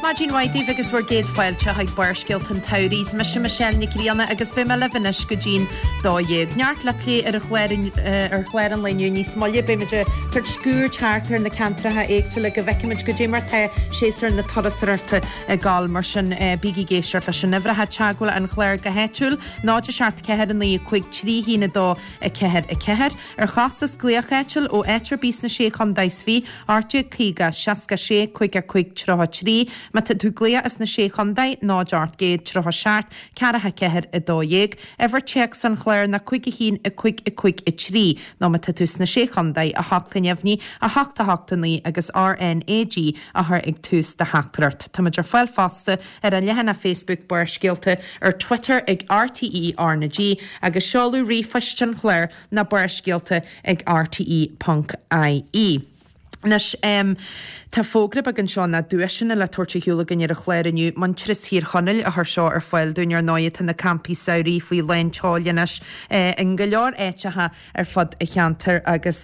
Maidin mhaith daoibh agus bhur gcéad fáilte chuig Barrscéalta an tSamhraidh. Is mise Michelle Nic Grianna agus beidh mé libh anois go dtí'n 12. Neart le plé ar an chlár ar chlár an lae inniu. Níos moille beidh muid ag tabhairt cuairt thart ar na ceantracha éagsúla go bhfeicfimid goidé mar tá séasúr na turasóireachta ag gabháil. Mar sin bígí ag éisteacht leis sin. Uimhreacha teagmhála an chláir go háitiúil, 0 7 4 9 5 3 1 2 4 4. Ar chostas glaoch áitiúil ó áit ar bith sna Sé Chontae is Fiche, 1850 66 55 33. Má tá tú ag glaoch as na Sé Chontae, 0 800 37 44 12. Uimhir téacs an chláir ná 5 1 5 5 3 nó má tá tú sna Sé Chontae, 8 a neamhní, 8 8 9 agus RNAG a chur ag tús do theachtaireacht. Táimid ar fáil fosta ar an leathanach Facebook Barrscéalta, ar Twitter ag RTÉ RnaG agus seoladh ríomhphoist an chláir ná barrscéalta ag rte ponc ie. Anois, tá fógra beag anseo ná duaiseanna le tabhairt ar shiúl againn ar an chlár inniu. Muintearas Thír Chonaill a chuir seo ar fáil dúinn. Ar ndóigh, tá na campaí samhraidh faoi lán tseoil anois in go leor áiteacha ar fud an cheantair agus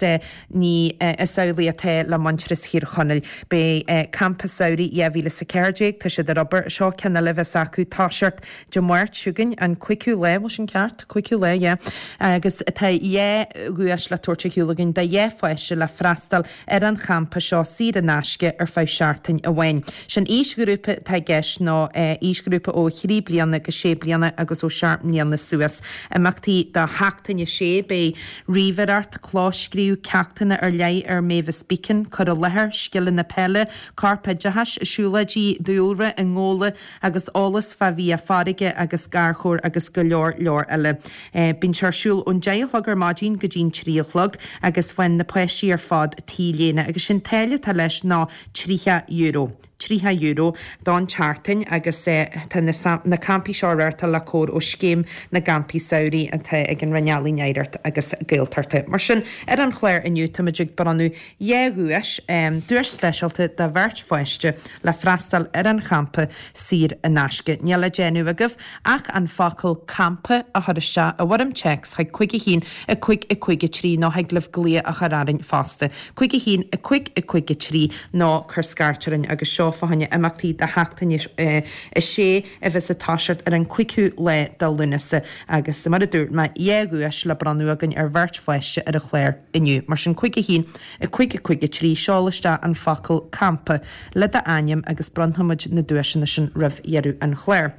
ní is amhlaidh atá le Muintearas Thír Chonaill. Beidh Campa Samhraidh 2014, tá siad ar obair, seo ceann eile a bheas acu, toiseacht Dé Máirt seo chugainn, an cúigiú lá, bhfuil sin ceart? Cúigiú lá, yeah. Agus tá dhá dhuais le tabhairt ar shiúl againn do dhá pháiste le freastal ar an champa seo saor in aisce ar feadh seachtain amháin. Sin aoisghrúpa atá i gceist ná aoisghrúpa ó thrí bliana go sé bliana agus ó sheacht mbliana suas. Imeachtaí do sheachtain a sé, beidh ríomhaireacht, clóscríobh, ceachtanna ar leith ar Mavis Beacon, cur i láthair, scileanna peile, corpoideachais, siúlóidí dúlra i nGabhla agus eolas fá bhia farraige agus garchabhair agus go leor leor eile. Bíonn sé ar siúl ón deich a chlog ar maidin go dtí'n trí a chlog agus faigheann na páistí ar fad T-léine agus sin táille atá leis ná €30. €30 don tseachtain agus tá na campaí seo á reáchtáil le cabhair ó Scéim na gCampaí Samhraidh atá ag an Roinn Ealaíon, Oidhreachta agus Gaeltachta. Mar sin, ar an chlár inniu táimid ag bronnadh dhá dhuais, duais speisialta do bheirt pháiste le freastal ar an champa saor in aisce. Níl le déanamh agaibh ach an focal 'campa' a chur isteach i bhfoirm téacs chuig 5 1 5 5 3 nó thig libh glaoch a chur orainn fosta, 5 1 5 5 3 nó cuir scairt orainn agus seo fá choinne imeachtaí do sheachtain a sé a bheas ag toiseacht ar an 5ú lá de Lúnasa agus mar a dúirt mé, dhá dhuais le bronnadh againn ar bheirt pháiste ar an chlár inniu. Mar sin 5 1 5 5 3, seol isteach an focal 'campa' le d'ainm agus bronnfaimid na duaiseanna sin roimh dheireadh an chláir.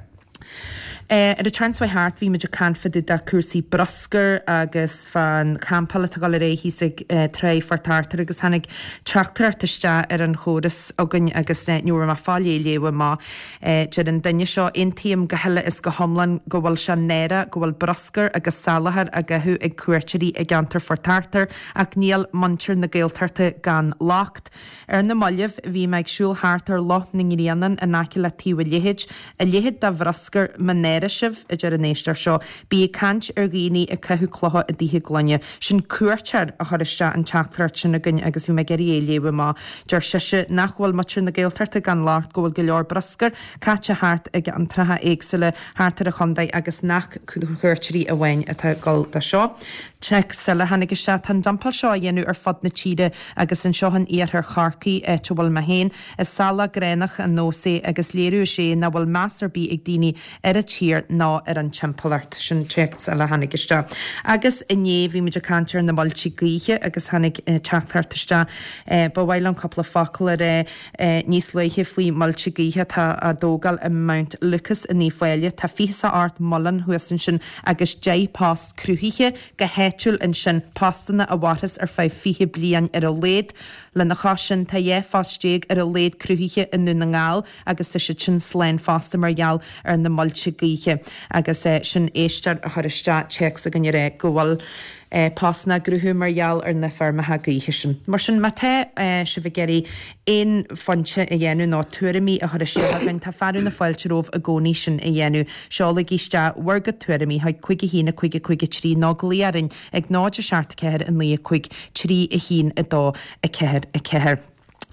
Ar an tseachtain seo thart bhí muid ag caint fá dtaobh de cúrsaí bruscair agus fán champáil atá ag dul ar aghaidh thíos ag Tráigh Phort Arthur agus tháinig teachtaireacht isteach ar an chóras againn agus ní raibh mé ag fáil é a léamh amach. Deir an duine seo, Aontaím go huile is go hiomlán go bhfuil sé náireach go bhfuil bruscar agus salachar á gcaitheamh ag cuairteoirí i gceantar Phort Arthur ach níl muintir na Gaeltachta gan locht. Ar na mallaibh bhí mé ag siúl thart ar Loch na nGrianán in aice le Taobh an Leithéid, a leithéid de bhruscar, mo náire sibh, a deir an éisteoir seo, bí ag caint ar dhaoine ag caitheamh clocha i dtithe gloine. Sin cuairteoir a chuir isteach an teachtaireacht sin againn agus bhí mé ag iarraidh é a léamh amach. Deir sise nach bhfuil muintir na Gaeltachta gan locht, go bhfuil go leor bruscair caite thart i gceantracha éagsúla thart ar an chontae agus nach cuairteoirí amháin atá ag dul do seo. Téacs eile a tháinig isteach, tá an dumpáil seo á dhéanamh ar fud na tíre agus anseo in iarthar Chorcaí, áit a bhfuil mé féin, is salach gránach an nós é agus léiriú is ea é nach bhfuil meas ar bith ag daoine ar an tír ná ar an timpeallacht. Sin téacs eile a tháinig isteach. Agus inné bhí muid ag caint ar na muilte gaoithe agus tháinig teachtaireacht isteach. Ba mhaith liom cúpla focal a rá níos luaithe faoi muilte gaoithe atá á dtógáil i Mount Lucas in Uíbh Fhailí. Tá 28 muileann thuas ansin agus 10 post cruthaithe go háitiúil ansin, postanna a mhairfeas ar feadh 20 bliain ar a laghad. Lena chois sin, tá 12 phost ar a laghad cruthaithe i nDún na nGall agus tá siad sin slán fosta mar gheall ar na muilte gaoithe. Agus sin éisteoir a chuir isteach téacs againn a rá go bhfuil postanna á gcruthú mar gheall ar na feirmeacha gaoithe sin. Mar sin, má tá sibh ag iarraidh aon phointe a dhéanamh nó tuairimí a chur isteach againn, tá fearadh na fáilte romhaibh i gcónaí sin a dhéanamh. Seolaigí isteach bhur gcuid tuairimí chuig 5 1 5 5 3 nó glaoigh orainn ag 0 7 4 9 5 3 1 2 4 4.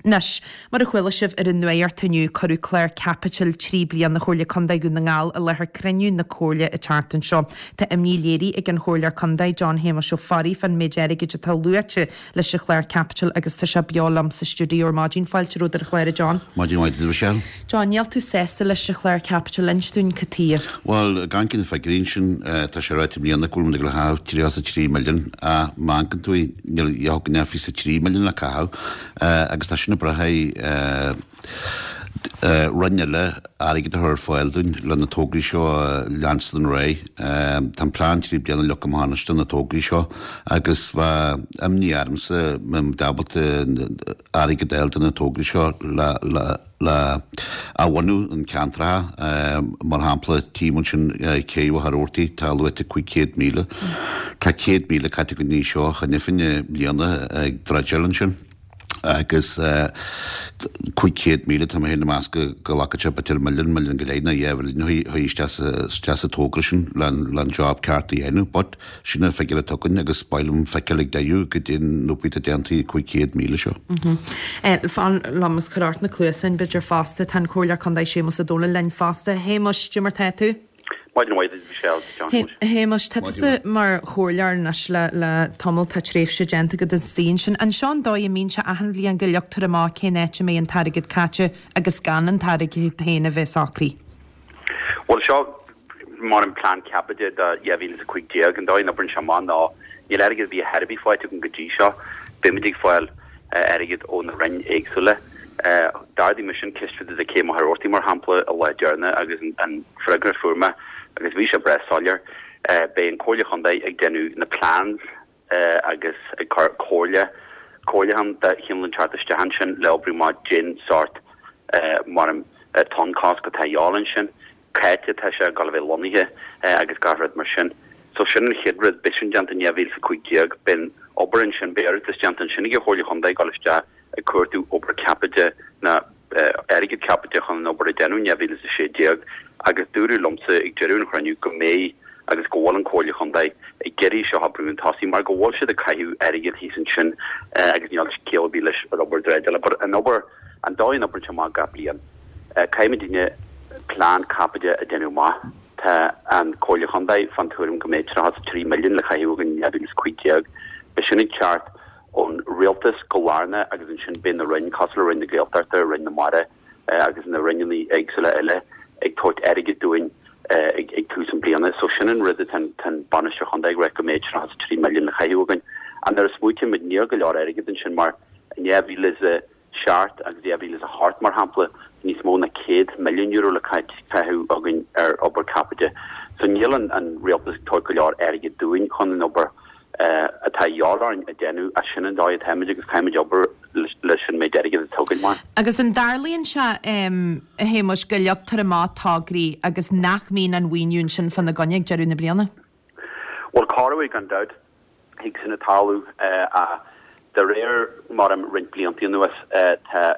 Anois, mar a chuala sibh ar an nuacht inniu, cuireadh clár caipitil 3 bliana Chomhairle Contae Dhún na nGall i láthair cruinniú na Comhairle an tseachtain seo. Tá imní léirithe ag an Chomhairleoir Contae, John Shéamuis Ó Fearraigh, fán méid airgid atá luaite leis an chlár caipitil agus tá sé beo liom sa stiúideo ar maidin. Fáilte romhat ar an chlár, a John. Maidin mhaith duit, a Mhichelle. John, níl tú sásta leis an chlár caipitil, inis dúinn cad tuighe. Bhuel, ag amharc ar na figiúirí ansin, tá sé ráite i mbliana go bhfuil muid ag dul a chaitheamh 33 milliún ach má amharcann tú níl a dhath againn ach 23 milliún le caitheamh agus tá sin ag brath ar roinn eile airgead a chur ar fáil dúinn le na tograí seo a leanstan ar aghaidh. Tá an plean 3 bliana leagtha amach anois do na tograí seo agus bheadh imní ormsa mura mbeidh muid ábalta airgead a fháil do na tograí seo le le athbhunú an ceantracha, mar shampla tím ansin Cé Mhachaire Rabhartaigh, tá luaite 500,000. Tá 100,000 caite againn anseo cheana féin i mbliana ag dreideáil ansin agus 500,000 tá mé féin ag meas go nglacfadh sé b'fhéidir milliún, milliún go leith nó 2 mhilliún a chur isteach sa togra sin le an job ceart a dhéanamh but Sin an figiúr atá againn agus ba mhaith liom feiceáil ag deireadh goidé an obair atá déanta ag 500,000 seo. Fan liom is cuir ort na cluasáin b'fhéidir fosta. Tá an Comhairleoir Contae Séamus Ó Domhnaill linn fosta. A Shéamuis, cad é mar tá tú? Maidin mhaith duit, Michelle, John. A Shéamuis, tá tusa mar chomhairleoir anois le le tamall, tá tréimhse déanta agat istigh ansin. An seo an dóigh a mbíonn sé achan bhliain go leagtar amach cén áit a mbeidh an t-airgead caite agus gan an t-airgead féin a bheith socraithe? Bhuel, seo mar an plean caipitil do 2015. An dóigh a n-oibríonn sé amach ná níl airgead ar bith ar chor ar bith faighte againn go dtí seo. Beimid ag fáil airgead ó na roinn éagsúla. D'ardaigh mise an ceist fá dtaobh de Cé Mhachaire Rabhartaigh, mar shampla, an lá deireanach agus an freagra a fuair mé, agus bhí sé breá soiléir, beidh an Comhairle Chontae ag déanamh na plans, agus ag cur comhairle, comhairliúchán de chineál inteacht isteach ansin le oibriú amach cén sórt mar an tonnchosc atá a dhíobháil ansin, cá háit atá sé ag dul a bheith lonnaithe agus gach rud mar sin. So sin an chéad rud, beidh sin déanta in 2015, beidh an obair ansin, beidh iarratas déanta ansin ag an Chomhairle Chontae ag dul isteach ag cuartú obair caipitil ná airgead caipitil chun an obair a dhéanamh in 2016 agus dúradh liomsa ag deireadh an chruinniú go mbeidh agus go bhfuil an Comhairle Chontae ag iarraidh seo a bhrú chun tosaigh mar go bhfuil siad ag caitheamh airgead thíos ansin agus níl ciall ar bith leis an obair dreideála. But an obair, an dóigh a n-oibríonn sé amach gach bliain, caithfimidne plean caipitil a dhéanamh amach. Tá an Comhairle Chontae fán tuairim go mbeidh 33 milliún le caitheamh againn in 2015. Beidh sin ag teacht ón rialtas go lárnach agus ansin beidh na roinn, cosúil le Roinn na Gaeltachta, Roinn na Mara agus na roinneanna éagsúla eile ag tabhairt airgid dúinn ag tús an bliana. So sin an rud atá an bainisteoir chontae ag rá go mbeidh 33 milliún le caitheamh againn. Ach nuair a smaoitíonn muid níl go leor airgid ansin mar in 2000 7 agus 2008, mar shampla, níos mó ná €100 milliún le caitheamh againn ar obair caipitil. So níl an rialtas ag tabhairt go leor airgid dúinn chun an obair atá a dhíobháil orainn a dhéanamh ach sin an dóigh atáimid agus caithfimid obair leis an méid airgid atá againn mar. Agus an dtarlaíonn sé, a Shéamuis, go leagtar amach tograí agus nach mbíonn an mhaoiniú ansin fána gcoinne ag deireadh na bliana? Bhuel, corruair gan dabht. Thig sin a tarlú ach de réir mar a roinnt blianta anuas tá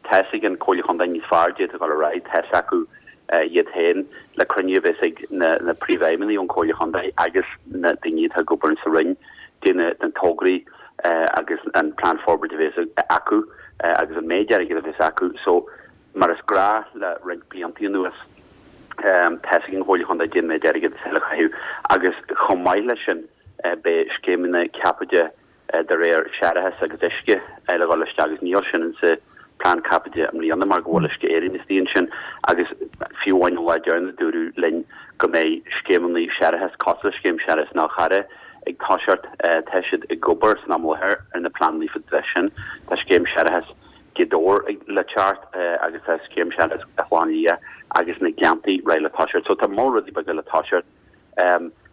tá's ag an Comhairle Chontae níos fearr goidé atá ag dul ar aghaidh, tá's acu iad féin le cruinniú a bheas ag na príomhfheidhmeannaigh ón Comhairle Chontae agus na daoine atá ag obair sa Roinn goidé na tograí agus an plean forbartha a bheas acu agus an méid airgid a bheas acu. So Mar is gnách le roinnt blianta anuas, tá's ag an Chomhairle Chontae goidé an méid airgid atá le caitheamh agus chomh maith leis sin beidh scéimeanna caipitil de réir séarachas agus uisce le dhul isteach agus níl sin insa plean caipitil i mbliana mar go bhfuil Uisce Éireann istigh ansin agus fiú amháin an lá deireanach dúradh linn go mbeidh scéimeanna séarachais cosúil le scéim séarachais Fhál Carrach ag toiseacht. Tá siad ag obair san am i láthair ar na pleananna fá dtaobh sin. Tá scéim séarachais Ghaoth Dobhair le teacht agus tá scéim séarachais Ghleann Liath agus na Gleanntaí réidh le toiseacht. So tá moll rudaí beaga le toiseacht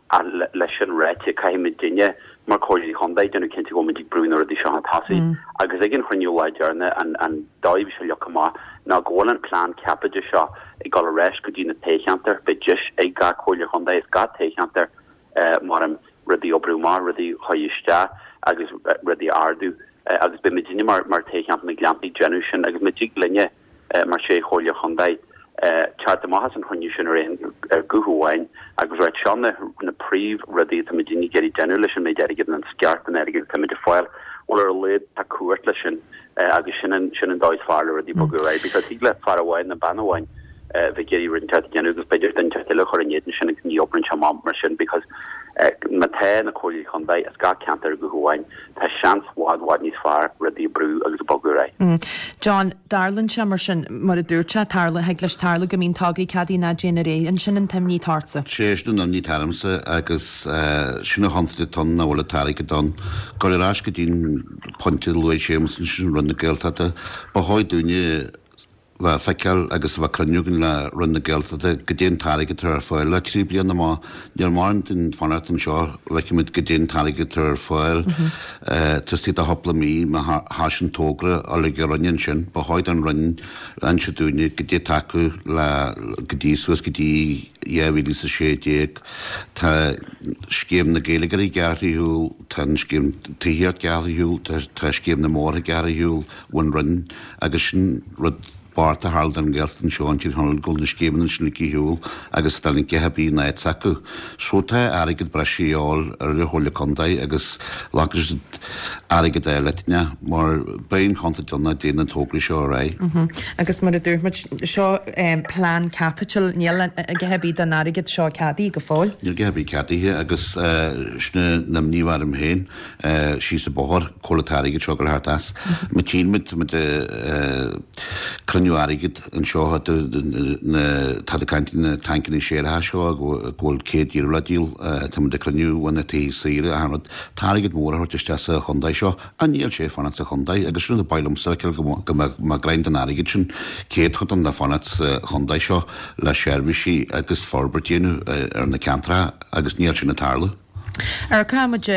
ach leis sin ráite caithfimidne mar Comhairleoirí Chontae déanamh cinnte go bhfuil muid ag brú na rudaí seo chun tosaigh agus ag an chruinniú lá deireanach an dóigh a bhí sé leagtha amach ná go bhfuil an plean caipitil seo ag dul ar ais go dtí na toghcheantair. Beidh deis ag gach Comhairle Chontae is gach toghcheantar mar rudaí a oibriú amach, rudaí a chur isteach agus rudaí a ardú agus beidh muidinne mar mar toghcheantar na nGleanntaí ag déanamh sin agus má thig linne mar sé chomhairle chontae teacht amach as an chruinniú sin ar aon ar guth amháin agus ráit seo na na príomh rudaí atá muidinne ag iarraidh déanamh leis an méid airgid an sciar den airgead atá muid ag fáil. Bhuel ar a laghad tá cumhacht leis sin agus sin an sin an dóigh is fearr le rudaí bogadh ar aghaidh because thig le fear amháin nó bean amháin bheith ag iarraidh rud inteacht a dhéanamh agus b'fhéidir duine inteacht eile a chur in éadan sin agus ní oibríonn sé amach mar sin because má tá na comhairlí chontae as gach ceantar ar ghuth amháin tá seans bhfad bhfad níos fearr rudaí a brú agus a bogadh ar aghaidh. John, dtarlaíonn sé mar sin, mar a dúirt sé, tarla, thig leis tarlú go mbíonn tograí ceadaithe nach dtéann ar aghaidh. An sin an t-imní atá ortsa? Sé sin an imní atá ormsa agus sin an chontúirt atá ann nach bhfuil an t-airgead ann. Dul ar ais go dtí an pointe a luaigh Séamus ansin, Roinn na Gaeltachta, ba chóir dúinne bheith ag feiceáil agus a bheith cruinniú againn le Roinn na Gaeltachta goidé an t-airgead atá ar fáil le 3 bliana amach. Níl mórán dínn fanacht anseo, feicimid goidé an t-airgead atá ar fáil taobh istigh de chúpla mí má thosaíonn togra a ag an Roinn ansin. Ba chóir don Roinn inse dúinne goidé atá acu le go dtí suas go dtí 2016. Tá scéim na Gaeilgeoirí gearrtha ar shiúl, tá an scéim tithíocht gearrtha ar shiúl, tá scéim na mbóithre gearrtha ar shiúl ón Roinn agus sin rud bocht a tharla don Ghaeltacht anseo in Tír Chonaill go bhfuil na scéimeanna sin ligthe ar shiúl agus tá an githe bíonn in áit s'acu. So tá airgead breise a dhíobháil ar an Chomhairle Contae agus glacfaidh siad airgead eile eitne mar beidh an chontúirt ann nach dtéann na tograí seo ar aghaidh. Agus mar a dúirt muid, seo plean caipitil, níl a dhath ar bith den airgead seo ceadaithe go fóill. Níl a dhath ar bith ceadaithe agus sin an imní atá orm féin. síos an bóthar, cá bhfuil an t-airgead seo ag dul a theacht as. Má tchíonn muid, tá muid ag cruinniú airgid anseo, na, táid ag caint na tancanna séaracha seo go bhfuil 100 euro le díol, tá muid ag cruinniú na tithe saoire, achan rud. Tá airgead mór á thabhairt isteach sa chontae seo, ach níl sé ag fanacht sa chontae agus sin rud ba mhaith liomsa a fheiceáil go mbeadh, go mbeadh greim den airgead sin, céadchodán le fanacht sa chontae seo le seirbhísí agus forbairt a dhéanamh ar na ceantracha agus níl sin ag tarlú. Amharcfaidh muid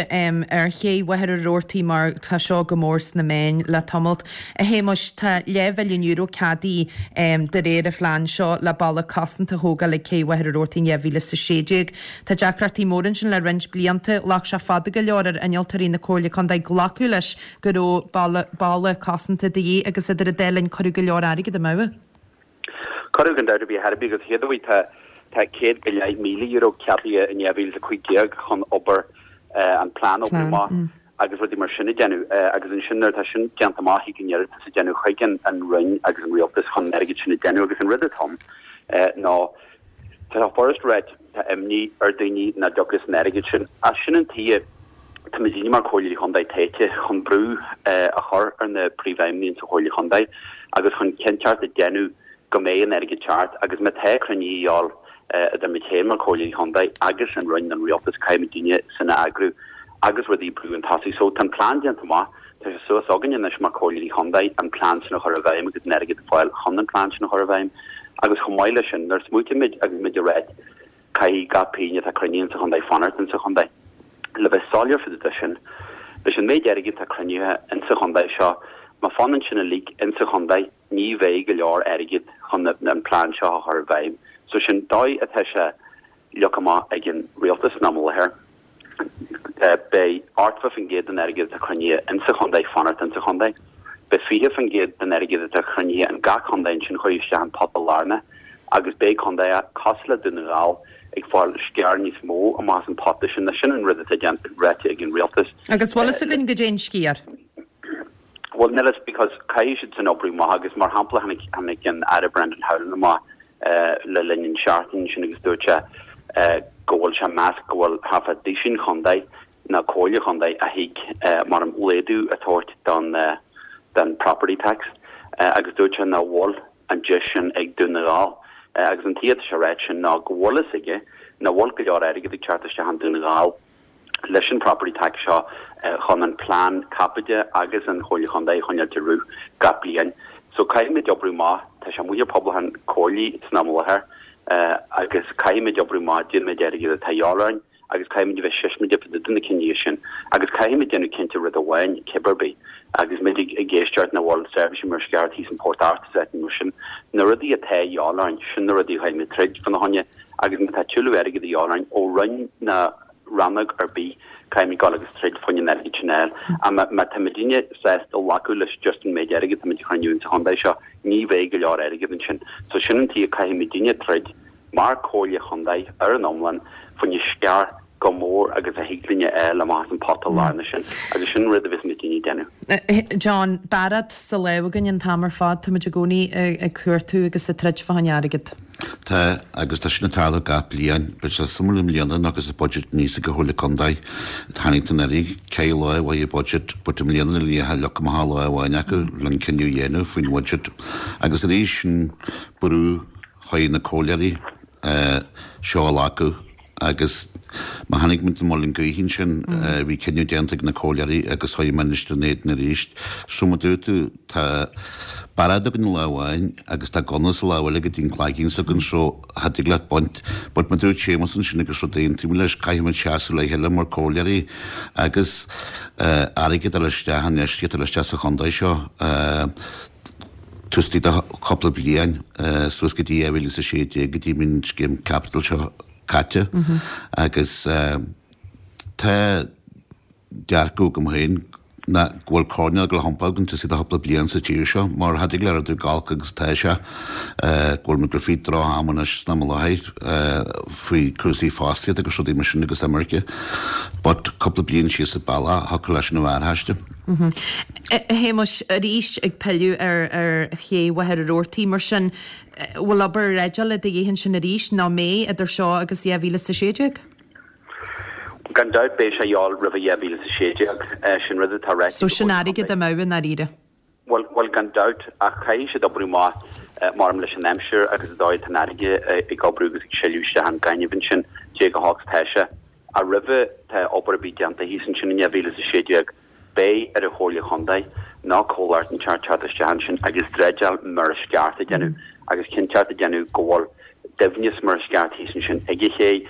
ar ché Mhachaire Rabhartaigh mar tá seo go mór sna meáin le tamalt. A Shéamuis, tá leathmhilliún euro ceadaithe de réir an phlean seo le balla cosanta a thógáil ag cé Mhachaire Rabhartaigh in 2016. Tá deacrachtaí móra ansin le roinnt blianta. Ghlac sé fada go leor ar innealtóirí na Comhairle Contae glacadh leis go raibh balla cosanta de dhíth agus idir an dá linn cuireadh go leor airgid amú. Cuireadh gan dabht ar bith ar bith agus chéad uair tá tá €100,000 ceadaithe in 2015 chun obair an plean a oibriú amach agus rudaí mar sin a dhéanamh agus ansin nuair atá sin déanta amach thig an iarratas a dhéanamh chuig an an Roinn agus an Rialtas chun an airgead sin a dhéanamh agus an rud atá ann ná tá furast ráit tá imní ar daoine nach dtiocfas an airgead sin ach sin an tuige tá muidinne mar Chomhairleoirí Chontae tofa chun brú a chur ar na príomhfheidhmeannaigh sa Chomhairle Chontae agus chun cinnteacht a dhéanamh go mbeidh an airgead ceart agus má tá cruinnithe a dhíobháil idir muid féin mar Chomhairleoirí Chontae agus an Roinn an Rialtas caithfidh muidinne sin a eagrú agus rudaí a brú chun tosaigh. So tá an plean déanta amach, tá sé suas againn anois mar Chomhairleoirí Chontae an plean sin a chur i bhfeidhm agus an airgead a fáil chun an plean sin a chur i bhfeidhm agus chomh maith leis sin nuair a smaoitímid agus muid ag ráit Caithfidh gach pingin atá cruinnithe insa chontae fanacht insa chontae. Le bheith soiléir fá dtaobh de sin, leis an méid airgid atá cruinnithe insa chontae seo, má fanann sin uilig insa chontae, ní bheidh go leor airgid chun an plean seo a chur i bhfeidhm. So sin dóigh atá sé leagtha amach ag an rialtas san am i láthair. Beidh 80% den airgead atá cruinnithe insa chontae fanacht insa chontae. Beidh 20% den airgead atá cruinnithe in gach contae ansin chuir isteach an pota lárnach agus beidh contaetha cosúil le Dún na nGall ag fáil sciar níos mó amach as an pota sin. Now sin an rud atá déanta, ráite ag an rialtas. Agus bhfuil fhios againn goidé an sciar? Bhuel níl fhios because caithfidh siad sin oibriú amach agus mar shampla tháinig, tháinig an Aire Brendan Howlin amach le linn an seachtain sin agus dúirt sé go bhfuil sé ag meas go bhfuil thart fá duisín chontae nó comhairle chontae a thig mar an laghdú a thabhairt don don property tax agus dúirt sé nach bhfuil an deis sin ag Dún na nGall agus an tuige atá sé ráit sin ná go bhfuil fhios aige nach bhfuil go leor airgead ag teacht isteach in Dún na nGall leis an property tax seo chun an plean caipitil agus an Chomhairle Chontae a choinneáilt ag rith gach bliain. So caithfimid oibriú amach, tá sé amuigh ar pobal an comhairlí san am i láthair agus caithfimid oibriú amach goidé an méid airgid atá a dhíobháil orainn agus caithfimid a bheith siosmaideach fá dtaobh de na cinntí sin agus caithfimid déanamh cinnte rud amháin cibé ar bith agus muid ag éisteacht nach bhfuil seirbhísí mar sceart thíos in Port Art is áiteanna mar sin, na rudaí atá a dhíobháil orainn, sin na rudaí a chaithfimid troid fána choinne. Agus má tá tuilleadh airgid a dhíobháil orainn ó roinn ná rannóg ar bith, caithfimid dul agus troid fá choinne an airgid sin a fháil. Ach má má tá muidinne sásta glacadh leis just an méid airgid tá muid a chruinniú insa chontae seo, ní bheidh go leor airgid ansin. So sin an tuige caithfidh muidinne troid mar comhairle chontae ar an iomlán fá choinne sciar. Chomh mór agus a thig linn a fháil amach as an pota lárnach sin, agus sin rud a bheas muidinne ag déanamh. John, Bairéad sa lámh againn an t-am ar fad, táimid i gcónaí ag cuartú agus ag troid fá choinne airgead. Tá, agus tá sin ag tarlú gach bliain. Beidh sé suimiúil i mbliana nó agus an budget aníos ag an Chomhairle Contae. Tháinig an earraigh, ceithre lá uaidh an budget, but i mbliana níl ach leath amach lá amháin acu le an cinneadh a dhéanamh faoin bhudget. Agus arís sin brú chuig na comhairleoirí seo a ghlacadh. Agus má tháinig muid i Muileann gCaoch ansin, bhí cinneadh déanta ag na comhairleoirí agus chuaigh muid ina éadan arís. So mar a dúirt tú, tá bairéad againn lá amháin agus tá gunna sa lámh eile go dtí an cloigeann s'againn so cha dtig leat baint. But mar a dúirt Séamus ansin agus rud a aontaím leis, caithfidh muid seasamh le chéile mar comhairleoirí agus airgead a fháil isteach, infheistíocht a fháil isteach sa chontae seo. Taobh istigh de chúpla bliain, suas go dtí 2016, go dtí an scéim caipitil seo caite agus tá dearcadh agam féin ná go bhfuil coirnéal ag dul a thiompú againn taobh istigh de chúpla bliain sa tír seo mar cha dtig le rudaí chomh holc agus atá sé, go bhfuil muid ag dul fríd droch-am anois san am i láthair faoi cúrsaí fostaíochta agus rudaí mar sin agus imirce but cúpla bliain síos an bealach thiocfadh leis sin a bheith aisti. A Shéamuis, arís ag pilleadh ar ché Mhachaire Rabhartaigh, mar sin, bhfuil obair dreideála de dhíth ansin arís, nó an mbeidh, idir seo agus 2016? Gan dabht beidh sé a dhíobháil roimhe 2016. Sin rud atá ráite So sin airgead amú i ndáiríre? Bhuel, bhuel gan dabht, ach caithfidh siad oibriú amach maram leis an aimsir agus an dóigh atá an fharraige ag oibriú agus ag sileadh isteach an gaineamh ansin, dé chomh holc is atá sé. Ach roimhe tá obair a bheith déanta thíos ansin in 2016, beidh ar an Chomhairle Chontae nó comhlacht inteacht teacht isteach ansin agus dreideáil mar is ceart a dhéanamh agus cinnteacht a dhéanamh go bhfuil doimhneas mar is ceart thíos ansin ag an ché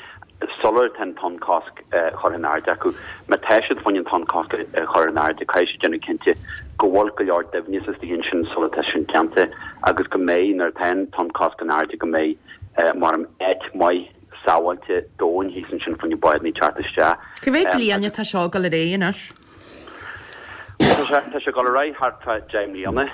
sular tá an tonn-chosc curtha in airde acu. Má tá siad chun an tonn-chosc a chur in airde, caithfidh siad déanamh cinnte go bhfuil go leor doimhneas istigh ansin sula tá sin déanta agus go mbeidh, nuair atá an tonn-chosc in airde, go mbeidh mar áit maith sábháilte domhain thíos ansin fá choinne bádanna teacht isteach. Cá mhéad bliain atá seo ag dul ar aghaidh anois? Tá sé tá sé ag dul ar aghaidh thart fá 10 mbliana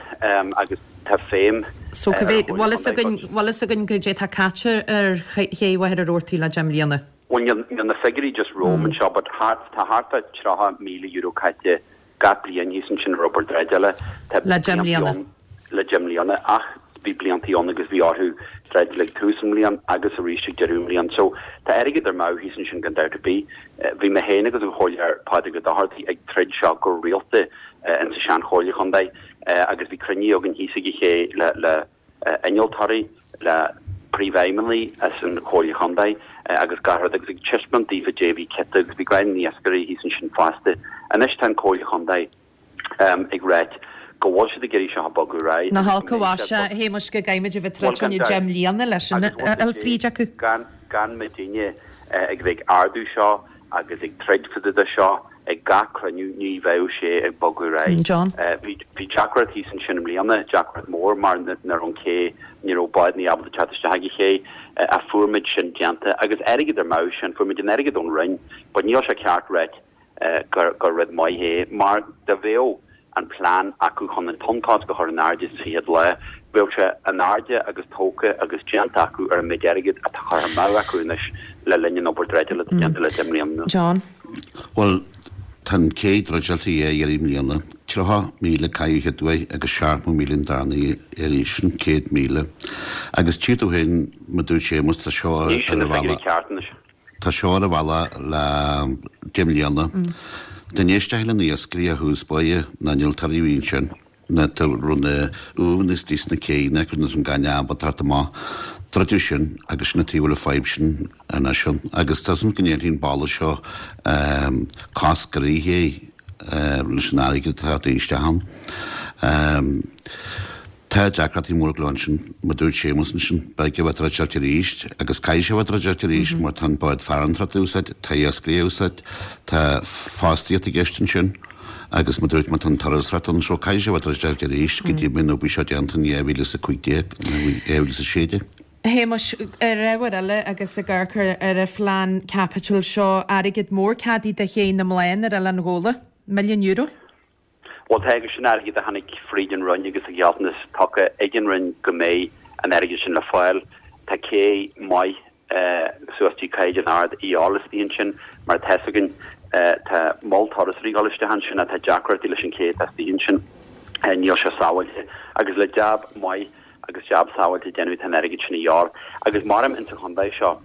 agus tá feidhm So cá mhéad, bhfuil fhios againn, bhfuil fhios againn goidé atá caite ar ché Mhachaire Rabhartaigh le 10 mbliana? Bhuel níl níl na figiúirí just romham anseo but thart, tá thart fá €30,000 caite gach bliain thíos ansin ar obair dreideála. Tá Le 10 mbliana. Le 10 mbliana ach bhí bliantaí ann agus bhí orthu dreideáil ag tús an bhliain agus arís ag deireadh an bhliain. So tá airgead ar meadh thíos ansin gan dabht ar bith. Bhí mé féin agus an Chomhairleoir Pádraig Ó Dochartaigh ag troid seo go rialta insa sean Chomhairle Chontae agus bhí cruinnithe againn thíos ag an ché le le innealtóirí, le príomhfheidhmeannaigh as an Chomhairle Chontae agus gach rud agus ag taispeáint daofa goidé a bhí ciota agus bhí gach na iascairí thíos ansin fosta. Anois tá an Comhairle Chontae ag ráit go bhfuil siad ag iarraidh seo a bogadh ar aghaidh Nach olc a mhaise, a Shéamuis, go gcaithfimid a bheith ag troid fá choinne 10 mbliana leis sin a fháil fríd acu. Gan gan muidinne ag bheith ag ardú seo agus ag troid fá dtaobh de seo ag gach cruinniú ní bheadh sé ag bogadh ar aghaidh. John. Bhí bhí deacracht thíos ansin i mbliana, deacracht mór mar ní raibh an ché, ní raibh bádanna ábalta teacht isteach ag an ché ach fuair muid sin déanta agus airgead ar meadh sin, fuair muid an airgead ón Roinn but níl sé ceart ráit gur gur rud maith é mar dá bheadh an plean acu chun an tonnchosc a chur in airde sa chéad lá, bheadh sé in airde agus tógtha agus déanta acu ar an méid airgid atá curtha amú acu anois le linn an obair dreideála atá déanta le 10 mbliana anuas. John. Bhuel, tá an cé druideáilte a iarraidh i mbliana. 30,000 caitheadh an chéad uair agus 70,000 an darna iarraidh, sin 100,000. Agus tchí tú féin, mar a dúirt Séamus, tá seo ar Ní sin na figiúirí ceart anois. Tá seo ar an bhealach le 10 mbliana. Dá n-éistfeá le na iascairí ó thús báire, na innealtóirí a bhí ansin, na raibh na uaimheanna istigh sna céanna acu nuair an gaineamh ábalta teacht amach, druideadh sin agus sin an taobh a bhfuil an fadhb sin anois ann. Agus tá súil go ndéanfaidh an balla seo cosc ar an ché leis an airgead atá ag dul isteach ann. Tá deacrachtaí móra ag dul ansin, mar a dúirt Séamus ansin, beidh a bheith druideáilte arís agus caithfidh sé a bheith druideáilte arís mar tá an bád farantóireachta á úsáid, tá iascairí á úsáid, tá fostaíocht i gceist ansin agus mar a dúirt mé tá an turasóireacht ann so caithfidh sé a bheith druideáilte arís go dtí mbeidh an obair seo déanta in 2015 nó 2016. A Shéamuis, ar ábhar eile agus ag amharc ar an phlean caipitil seo, airgead mór ceadaithe do Ché na mBláthanna ar Oileán Ghabhla, milliún euro. Bhuel, tá agus sin airgead a tháinig fríd an Roinn agus a ghealltanas tugtha ag an Roinn go mbeidh an airgead sin le fáil. Tá cé maith. suas dtí caighdeán ard a dhíobháil istigh ansin. Mar atá fhios againn, tá mol turasóirí ag dul isteach ansin ach tá deacrachtaí leis an ché atá istigh ansin. Níl sé sábháilte. Agus le jab maith agus jab sábháilte a dhéanamh tá an airgead sin a dhíobháil. Agus maram insa chontae seo,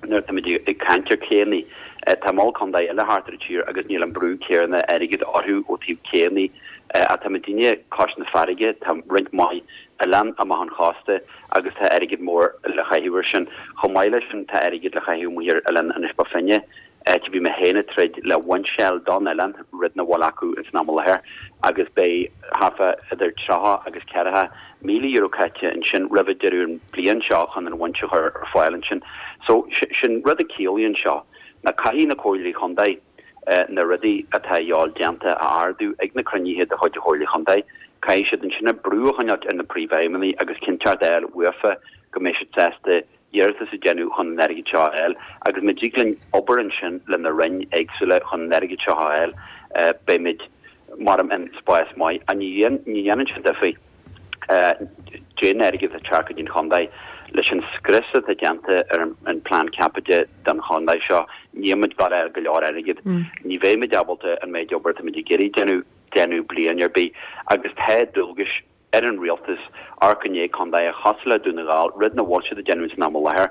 nuair atáimid ag caint ar chéanna, tá mol contae eile thart ar an tír agus níl an brú céanna airgid orthu ó taobh céanna. Ach tá muidinne cois na farraige, tá roinnt mhaith oileán amach an chósta agus tá airgead mór le chaitheamh ar sin. Chomh maith leis sin tá airgead le chaitheamh amuigh ar oileán Inis Bó Finne. Áit a bhí mé féin ag troid le bhoinsel don oileán, rud nach bhfuil acu ins an am i láthair, agus beidh thart fá idir 30 agus €40,000 caite ansin roimh deireadh an bliain seo chun an bhoinse a chur ar fáil ansin. So, sin rud a ciallaíonn seo ná caithfidh na Comhairleoirí Chontae na rudaí atá a dhíobháil déanta a ardú ag na cruinnithe de chuid an Chomhairle Chontae. Caithfidh siad ansin brú a choinneáilt ar na príomhfheidhmeannaigh agus cinnteacht a fháil uafa go mbeidh siad sásta iarratas a dhéanamh chun an airgead seo a fháil agus má dtig linn obair ansin le na roinn éagsúla chun an airgead seo a fháil beimid maram in spás maith. Ach ní dhéanann sé difir cén airgead atá ag teacht go dtí an chontae. Leis an scrios atá déanta ar an plean caipitil don chontae seo níl muid ag gabháil a fháil go leor airgead. Ní bheidh muid ábalta an méid obair atá muid ag iarraidh déanamh déanamh bliain ar bith agus tá dualgais ar an rialtas amharc i ndiaidh contaetha cosúil le Dún na nGall, rud nach bhfuil siad ag déanamh san am i láthair.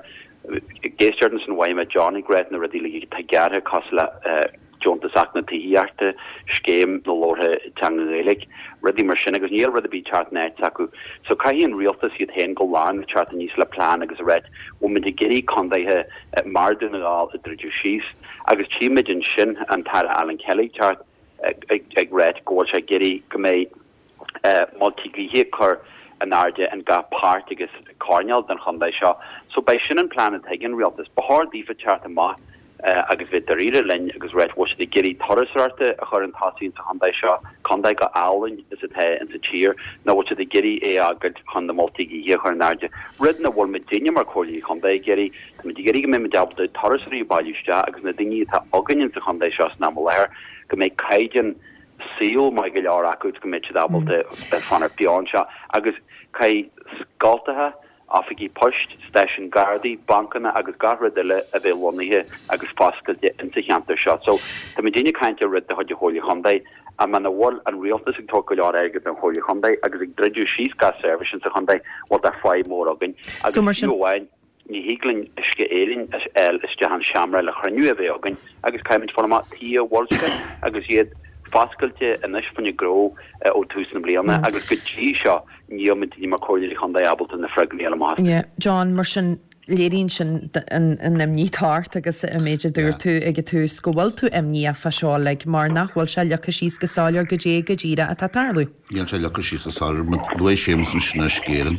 Ag éisteacht ansin mhaígh mé John ag ráit na rudaí uilig atá gearrtha cosúil le deontas Acht na Tithíochta, scéim na labhartha teanga Ghaeilge, rudaí mar sin agus níl rud ar bith ag teacht in áit s'acu. So caithfidh an rialtas iad féin go lárnach teacht aníos le plean agus a ráit bhfuil muid ag iarraidh contaetha mar Dún na nGall a druideadh síos agus tchímid ansin an tAire Alan Kelly ag teacht ag ráit go bhfuil sé ag iarraidh go mbeidh Moltaí gaoithe a chur in airde in gach páirt agus coirnéal den chontae seo. So beidh sin an plean atá ag an rialtas. Ba chóir daofa teacht amach agus bheith dáiríre linn agus ráit bhfuil siad ag iarraidh turasóireacht a chur chun tosaigh insa chontae seo, contae go álainn is atá insa tír, nó bhfuil siad ag iarraidh é a fhágáilt chun na moltaí gaoithe a chur in airde. Rud nach bhfuil muidinne mar Chomhairleoirí Chontae ag iarraidh. Tá muid ag iarraidh go mbeidh muid ábalta turasóirí a bailiú isteach agus na daoine atá againn insa chontae seo san am i láthair go mbeidh caighdeán saol maith go leor acu go mbeidh siad ábalta fanacht beo anseo agus caithfidh scoltacha, oifigí poist, stáisiún Gardaí, bancanna agus gach rud eile a bheith lonnaithe agus foscailte insa cheantar seo. So, tá muidinne ag caint ar rud de chuid an Chomhairle Chontae ach muna bhfuil an rialtas ag tabhairt go leor airgid don Chomhairle Chontae agus ag druideadh síos gach seirbhís insa chontae, bhuel tá fadhb mór againn. Agus fiú amháin. Ní thig linn Uisce Éireann a fháil isteach an seomra le chruinniú a bheith againn agus caithfimid fáil amach tuige a bhfuil sé agus iad foscailte anois fá choinne gnó ó tús na bliana agus go dtí seo níl muid ní mar Comhairleoirí Chontae ábalta na freagraí a fháil amach astu. John, mar sin, léiríonn sin an imní atá ort agus an méid a dúirt tú ag an tús go bhfuil tú imníoch fá seo uilig mar nach bhfuil sé leagtha síos go soiléir goidé go díreach atá ag tarlú. Níl sé leagtha síos go soiléir. Luaigh Séamus ansin Uisce Éireann.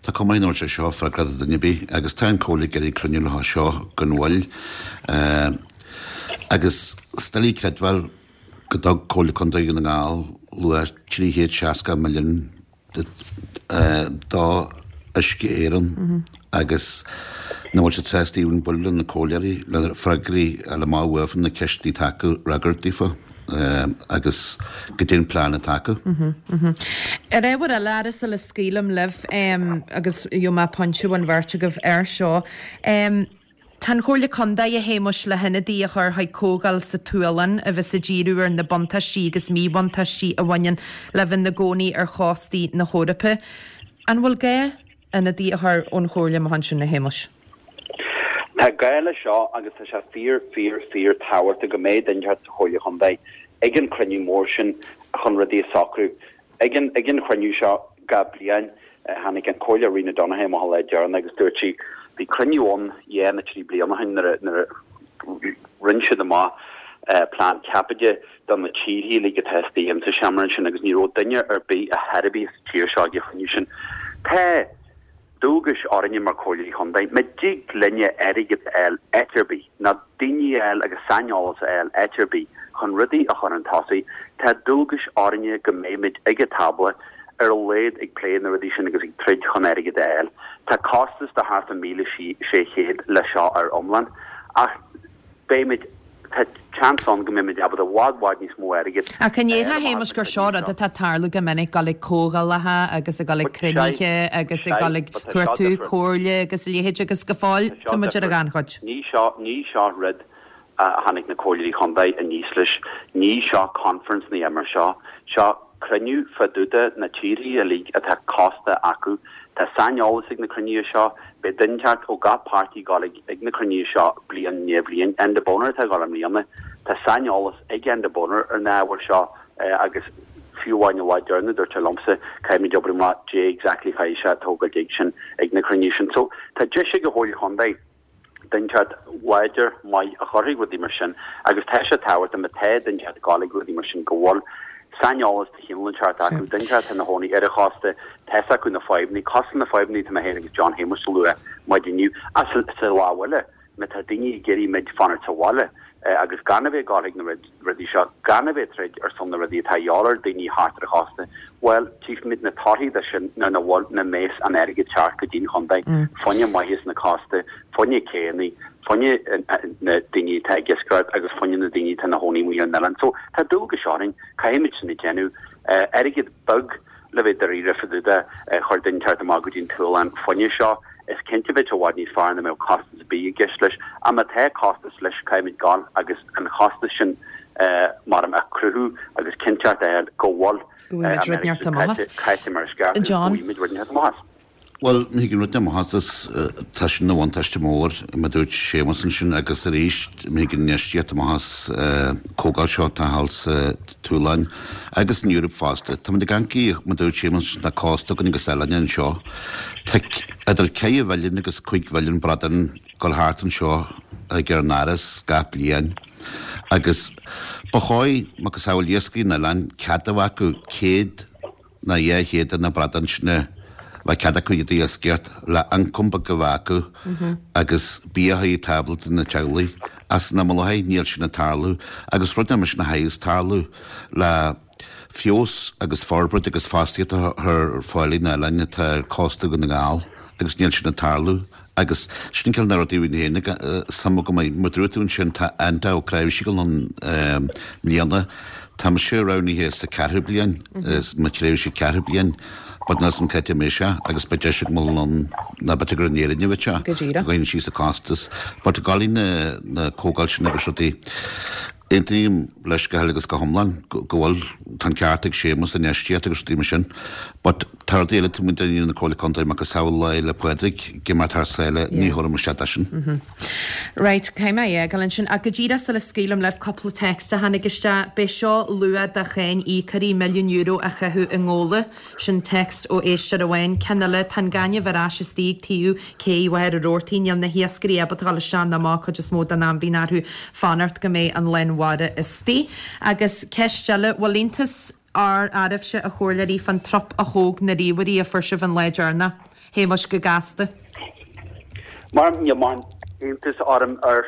Tá cuma air nach bhfuil sé seo freagrach do duine ar bith agus tá an Comhairle ag iarraidh cruinniú leo seo gan mhoill. Agus is doiligh creidbheáil go dtug Comhairle Contae Dhún na nGall luach 360 milliún do Uisce Éireann agus nach bhfuil siad sásta even bualadh le na comhairleoirí le freagraí a fháil amach uafa na ceisteanna atá acu a fhreagairt daofa agus goidé an plean atá acu. Ar ábhar eile, a fheara, sula scaoilim libh agus gheobhaidh mé pointe ón bheirt agaibh air seo. Tá an Chomhairle Contae, a Shéamuis, le hionadaí a chur chuig comhdháil sa tSualainn a bheas ag díriú ar na buntáistí agus míbhuntáistí a bhaineann le bheith ina gcónaí ar chóstaí na hEorpa. An bhfuil gá ionadaí a chur ón Chomhairle amach ansin, a Shéamuis? Tá gá leis seo agus tá sé fíor, fíor, fíor tábhachtach go mbeidh duine inteacht sa Chomhairle Chontae ag an cruinniú mór sin chun rudaí a socrú. Ag an ag an chruinniú seo gach bliain, tháinig an Comhairleoir Rena Donaghey amach an lá deireanach agus dúirt sí, bhí cruinniú ann dhá nó trí bliana ó shin nuair a nuair a rinne siad amach plean caipitil do na tíortha uilig atá istigh insa seomra ansin agus ní raibh duine ar bith a chor ar bith sa tír seo ag an chruinniú sin. Tá dualgais orainne mar Chomhairleoirí Chontae, má dtig linne airgead a fháil áit ar bith, nó daoine a fháil agus saineolas a fháil áit ar bith chun rudaí a chur chun tosaigh, tá dualgais orainne go mbeimid ag an tábla ar a laghad ag plé na rudaí sin agus ag troid chun airgead a fháil. Tá costas de thart ar 1,600 le seo ar iomlán ach beimid. Tá seans ann go mbeimid ábalta i bhfad bhfad níos mó airgid Ach an ndéarfá, a Shéamais, gur seo rud atá ag tarlú go minic, dul ag comhdhálacha agus ag dul ag cruinnithe agus ag dul ag cuartú comhairle agus a leithéid agus go fóill tá muid ar an ghannchuid. Ní seo, ní seo rud a tháinig na comhairleoirí chontae aníos leis, ní seo conference ná mar seo, seo cruinniú fá dtaobh de na tíorthaí uilig atá cósta acu. Tá saineolas ag na cruinnithe seo. Beidh duine inteacht ó gach páirtí ag dul ag na cruinnithe seo bliain i ndiaidh bhliain. Enda Bonner atá ag dul i mbliana. Tá saineolas ag Enda Bonner ar na ábhair seo agus fiú amháin an lá deireanach dúirt sé liomsa caithfimid obair amach cad é exactly chaithfidh sé tógáil ag sin ag na cruinnithe sin. So tá deis ag an Chomhairle Chontae. Duine inteacht láidir, maith a chuirfidh rudaí mar sin agus tá sé tábhachtach má tá duine inteacht ag gabháil ag rudaí mar sin go bhfuil saineolas de chineál inteacht acu, duine inteacht atá ina chónaí ar an chósta, tá's acu na fadhbanna, cosúil na fadhbanna atá mé féin agus John Shéamuis a lua maidin inniu, ach sa lámh eile má tá daoine ag iarraidh muid fanacht sa bhaile agus gan a bheith ag gabháil chuig na rudaí seo, gan a bheith ag troid ar son na rudaí atá a dhíobháil ar daoine thart ar an chósta, bhuel, tchífimid na torthaí de sin nuair nach bhfuil, nach mbeas an airgead ceart go dtí'n chontae, fá choinne maitheas na cósta, fá choinne céanna, fá choinne na daoine atá ag iascaireacht agus fá choinne na daoine atá ina chónaí amuigh ar an oileán. So, tá dualgas orainn, caithfimid sin a dhéanamh. Airgead beag le bheith dáiríre fá dtaobh de, chuir duine inteacht amach go dtí'n tSualainn fá choinne seo. Is cinnte bheadh sé i bhfad níos fearr dá mbeadh costas ar bith i gceist leis. Ach má tá costas leis, caithfimid gabháil agus an chostas sin mar a chruthú agus cinnteacht a fháil go bhfuil Go bhfaighimid rud inteacht amach as. caite mar is ceart agus go John. bhfaighimid rud inteacht amach as. Bhuel, má thigeann rud amach as, is tá sin ina bhuntáiste mór, mar a dúirt Séamus ansin, agus arís, má thigeann infheistíocht amach as comhdháil seo atá thall sa tSualainn agus san Eoraip fosta. Táimid ag amharc, mar a dúirt Séamus, tá cósta againn agus oileáin anseo. Tá idir 4 mhilliún agus 5 mhilliún bradán ag dul thart anseo ag ár ndoras gach bliain agus ba chóir, macasamhail iascairí an oileáin, cead a bheith acu 100 ná 200 de na bradáin sin a bheith cead acu iad a iascaireacht le ioncam beag a bheith acu agus bia a chur ar tábla do na teaghlaigh. Ach san am i láthair níl sin ag tarlú agus rud mar sin a chaithfeas tarlú le feabhas agus forbairt agus fostaíocht a chur ar fáil ar na oileáin atá ar cósta Dhún na nGall agus níl sin ag tarlú. Agus sin ceann de na rudaí a bhí féin ag suim agam é. Mar dúirt tú ansin, tá Enda Ó Cnáimhsí ag dul ann i mbliana. Tá mise roghnaithe sa ceathrú bliain, is mo thréimhse ceathrú bliain, but níl 's a'm cá háit a mbeidh sé agus beidh deis agam dul ann, ná b'fhéidir gur in Éirinn a bheidh sé, Go díreach. go gcuireann síos an costas. But ag dul na na comhdháil sin agus rudaí, aontaím leis go huile agus go hiomlán go bhfuil, tá an ceart ag Séamus, infheistíocht agus rudaí mar sin. But tá rudaí eile taobh amuigh de na Comhairle Contae, macasamhail Lá Fhéile Pádraig, ag imeacht thar sáile, ní thabharfaidh muid isteach dó sin. Right, caithfidh mé é a fhágáil ansin. Ach go díreach sula scaoilim libh, cúpla text a tháinig isteach. B'é seo luach do cháin íocóirí milliún euro a chaitheamh i ngabhla. Sin text ó éisteoir amháin. Ceann eile, tá an gaineamh ar ais istigh ag taobh cé Mhachaire Rabhartaigh. Níl na hiascairí ábalta dul isteach ná amach cuid is mó den am bíonn orthu fanacht go mbeidh an lán mhara istigh. Agus ceist eile, bhfuil iontas oraibhse a chomhairleoirí fán trup a thóg na ríomhairí a fuair sibh an lá deireanach? Shéamuis, go gasta. Mar níl mórán iontas orm ar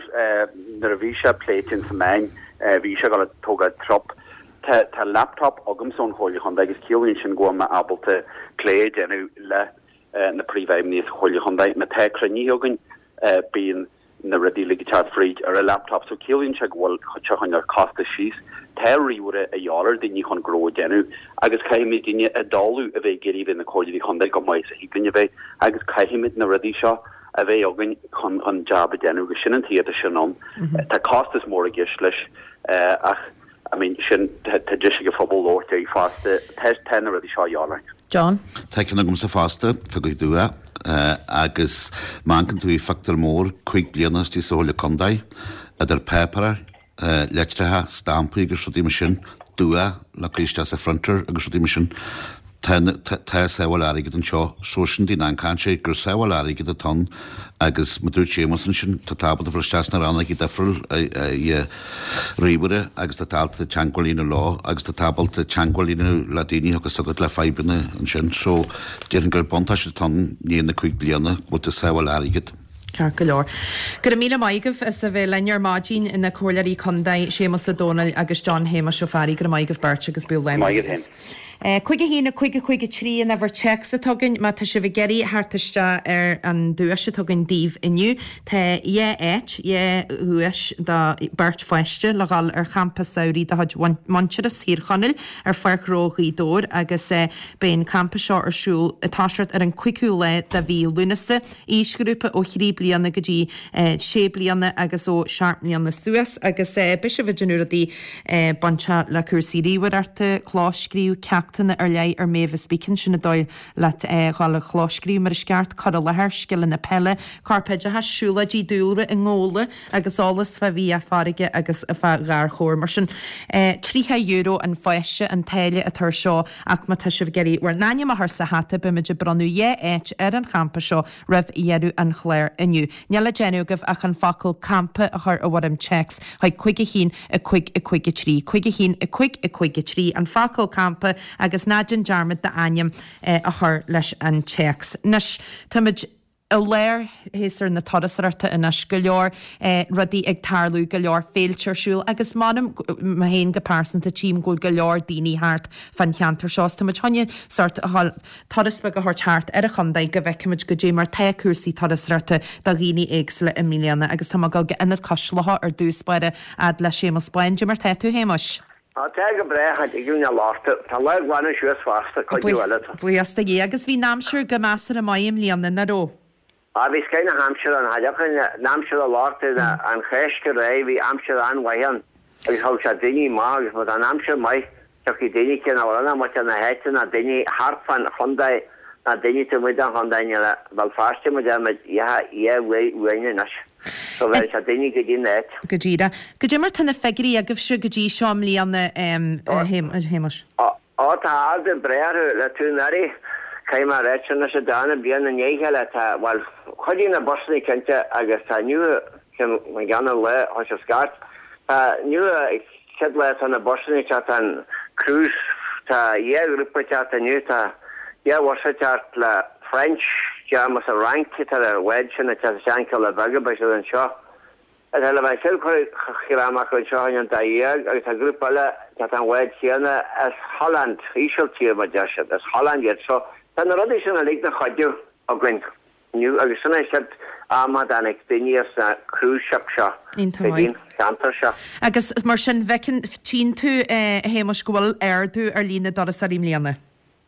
nuair a bhí sé pléite ins na meáin, bhí sé ag dul ag tógáil trup. Tá tá laptop agamsa ón Chomhairle Chontae agus ciallaíonn sin go bhfuil mé ábalta plé a dhéanamh le na príomhfheidhmeannaigh sa Chomhairle Chontae. Má tá cruinnithe againn bíonn na rudaí uilig ag teacht fríd ar an laptop so ciallaíonn sé go bhfuil sé chun an costas síos. Tá ríomhaire a dhíobháil ar daoine chun gnó a dhéanamh agus caithfimid daoine a dtoghadh a bheith ag iarraidh bheith ina comhairleoirí chontae chomh maith is a thig linn a bheith agus caithfimid na rudaí seo a bheith againn chun an jab a dhéanamh agus sin an tuige atá sin ann. Tá costas mór i gceist leis ach I mean sin tá deis ag an phobal labhairt air fosta. Tá tá na rudaí seo a dhíobháil orainn. John. Tá ceann agamsa fosta, tá go dua, agus má amharcann tú ar phictiúr mór, 5 bliana istigh sa Chomhairle Contae, idir páipéar, litreacha, stampaí agus rudaí mar sin, dua le cur isteach sa phrinter agus rudaí mar sin. Tá, tá sábháil airgid anseo, so sin dtí'n an-caint gur sábháil airgid atá ann agus mar dúirt Séamus ansin, tá tú ábalta dul isteach sna rannógaí difriúil i ríomhaire agus tá tú ábalta teagmháil a dhéanamh leo agus tá tú ábalta teagmháil a dhéanamh le daoine agus agat le fadhbanna ansin. So déarfainn gur buntáiste atá ann i ndiaidh na 5 bliana go bhfuil tú ag sábháil airgid. Ceart go leor. Go raibh míle maith agaibh as a bheith linn ar maidin, na Comhairleoirí Contae, Séamus Ó Domhnaill agus John Shéamuis Ó Fearraigh. Go raibh maith agaibh beirt agus bíodh lá maith agaibh. 5 1 5 5 3 an uimhir téacs atá againn má tá sibh ag iarraidh theacht isteach ar an duais atá againn daoibh inniu. Tá dhá áit, dhá dhuais do beirt pháiste le dhul ar champa samhraidh de chuid Muintearas Thír Chonaill ar Pháirc Ghnó Ghaoth Dobhair agus beidh an campa seo ar siúl ag toiseacht ar an 5ú lá de mhí Lúnasa. Aoisghrúpa ó thrí bliana go dtí sé bliana agus ó sheacht mbliana suas agus beidh sibh ag déanamh rudaí bainteach le cúrsaí ríomhaireachta, clóscríobh, ceachtanna ar leith ar Mavis Beacon, sin an dóigh leat dhul ag clóscríobh mar is ceart, cur i láthair, scileanna peile, corpoideachais, siúlóidí dúlra i ngabhla agus eolas fá bhia farraige agus fá gharchabhair. Mar sin, €30 an pháiste an táille atá ar seo ach má tá sibh ag iarraidh bhur n-ainm a chur sa hata beimid ag bronnadh dhá áit ar an champa seo roimh dheireadh an chláir inniu. Níl le déanamh agaibh ach an focal 'campa' a chur i bhfoirm téacs chuig 5 1 5 5 3, 5 1 5 5 3, an focal 'campa' agus ná déan dearmad d'ainm a chur leis an téacs. Anois, táimid i lár shéasúr na turasóireachta anois, go leor rudaí ag tarlú, go leor féilte ar siúl agus m'anam, mé féin go pearsanta, tchím go bhfuil go leor daoine thart fán cheantar seo is táimid chun sórt turas beag a thabhairt thart ar an chontae go bhfeicfimid goidé mar tá cúrsaí turasóireachta do dhaoine éagsúla i mbliana agus tá mé ag dul go Ionad Cois Locha ar dtús báire fhad le Séamus Bán. Goidé mar tá tú, Shéamuis? Á, tá go breá, cha dtig linn a labhairt. Tá an lá ag glanadh suas fosta, cuid eile. Buíochas do Dhia. Agus bhí an aimsir go measartha maith i mbliana, nach raibh? Á, bhí scoith na haimsire ann. Cha dtiocfainn an aimsir a labhairt an Cháisc ar aghaidh, bhí aimsir an-mhaith ann agus thug sé daoine amach agus má tá an aimsir maith, tiocfaidh daoine cé nach bhfuil ann muintir na háite ná daoine thart fán chontae ná daoine taobh amuigh den chontae, níl a Bhéal Feirste muid ar muid dhá uaidh uainn anois. So bheir sé daoine go dtí an áit. Go díreach. Goidé mar tá na figiúirí agaibhse go dtí seo i mbliana, a Shéamuis? Ó tá ardú breá orthu le tú ndáiríre. Caithfidh mé a ráit sin anois, darna bliain i ndiaidh a chéile tá, bhuel, cuid de na busanna cinnte agus tá inniu, an ceann an lá thoisigh scairt, tá inniu chéad lá tá na busanna ag teacht, tá an cruise, tá dhá ghrúpa ag teacht inniu, tá dhá bhus ag teacht le French, German is an Fhrainc atá ar an bhád sin ag teacht isteach an Cealla Beaga, beidh siad anseo. Tá le bheith chéad chur amach anseo in an dá dhéag agus tá grúpa eile teacht an bhád chéanna as Holland, Ísiltír mar deir siad, as Holland iad. So tá na rudaí sin uilig na chuidiú againn inniu agus sin é siad am a dtáinig daoine as na cruise ship seo go dtí an cheantar seo. Agus mar sin bhfeiceann, tchíonn tú a Shéamuis go bhfuil ardú ar líon na dturasóirí i mbliana?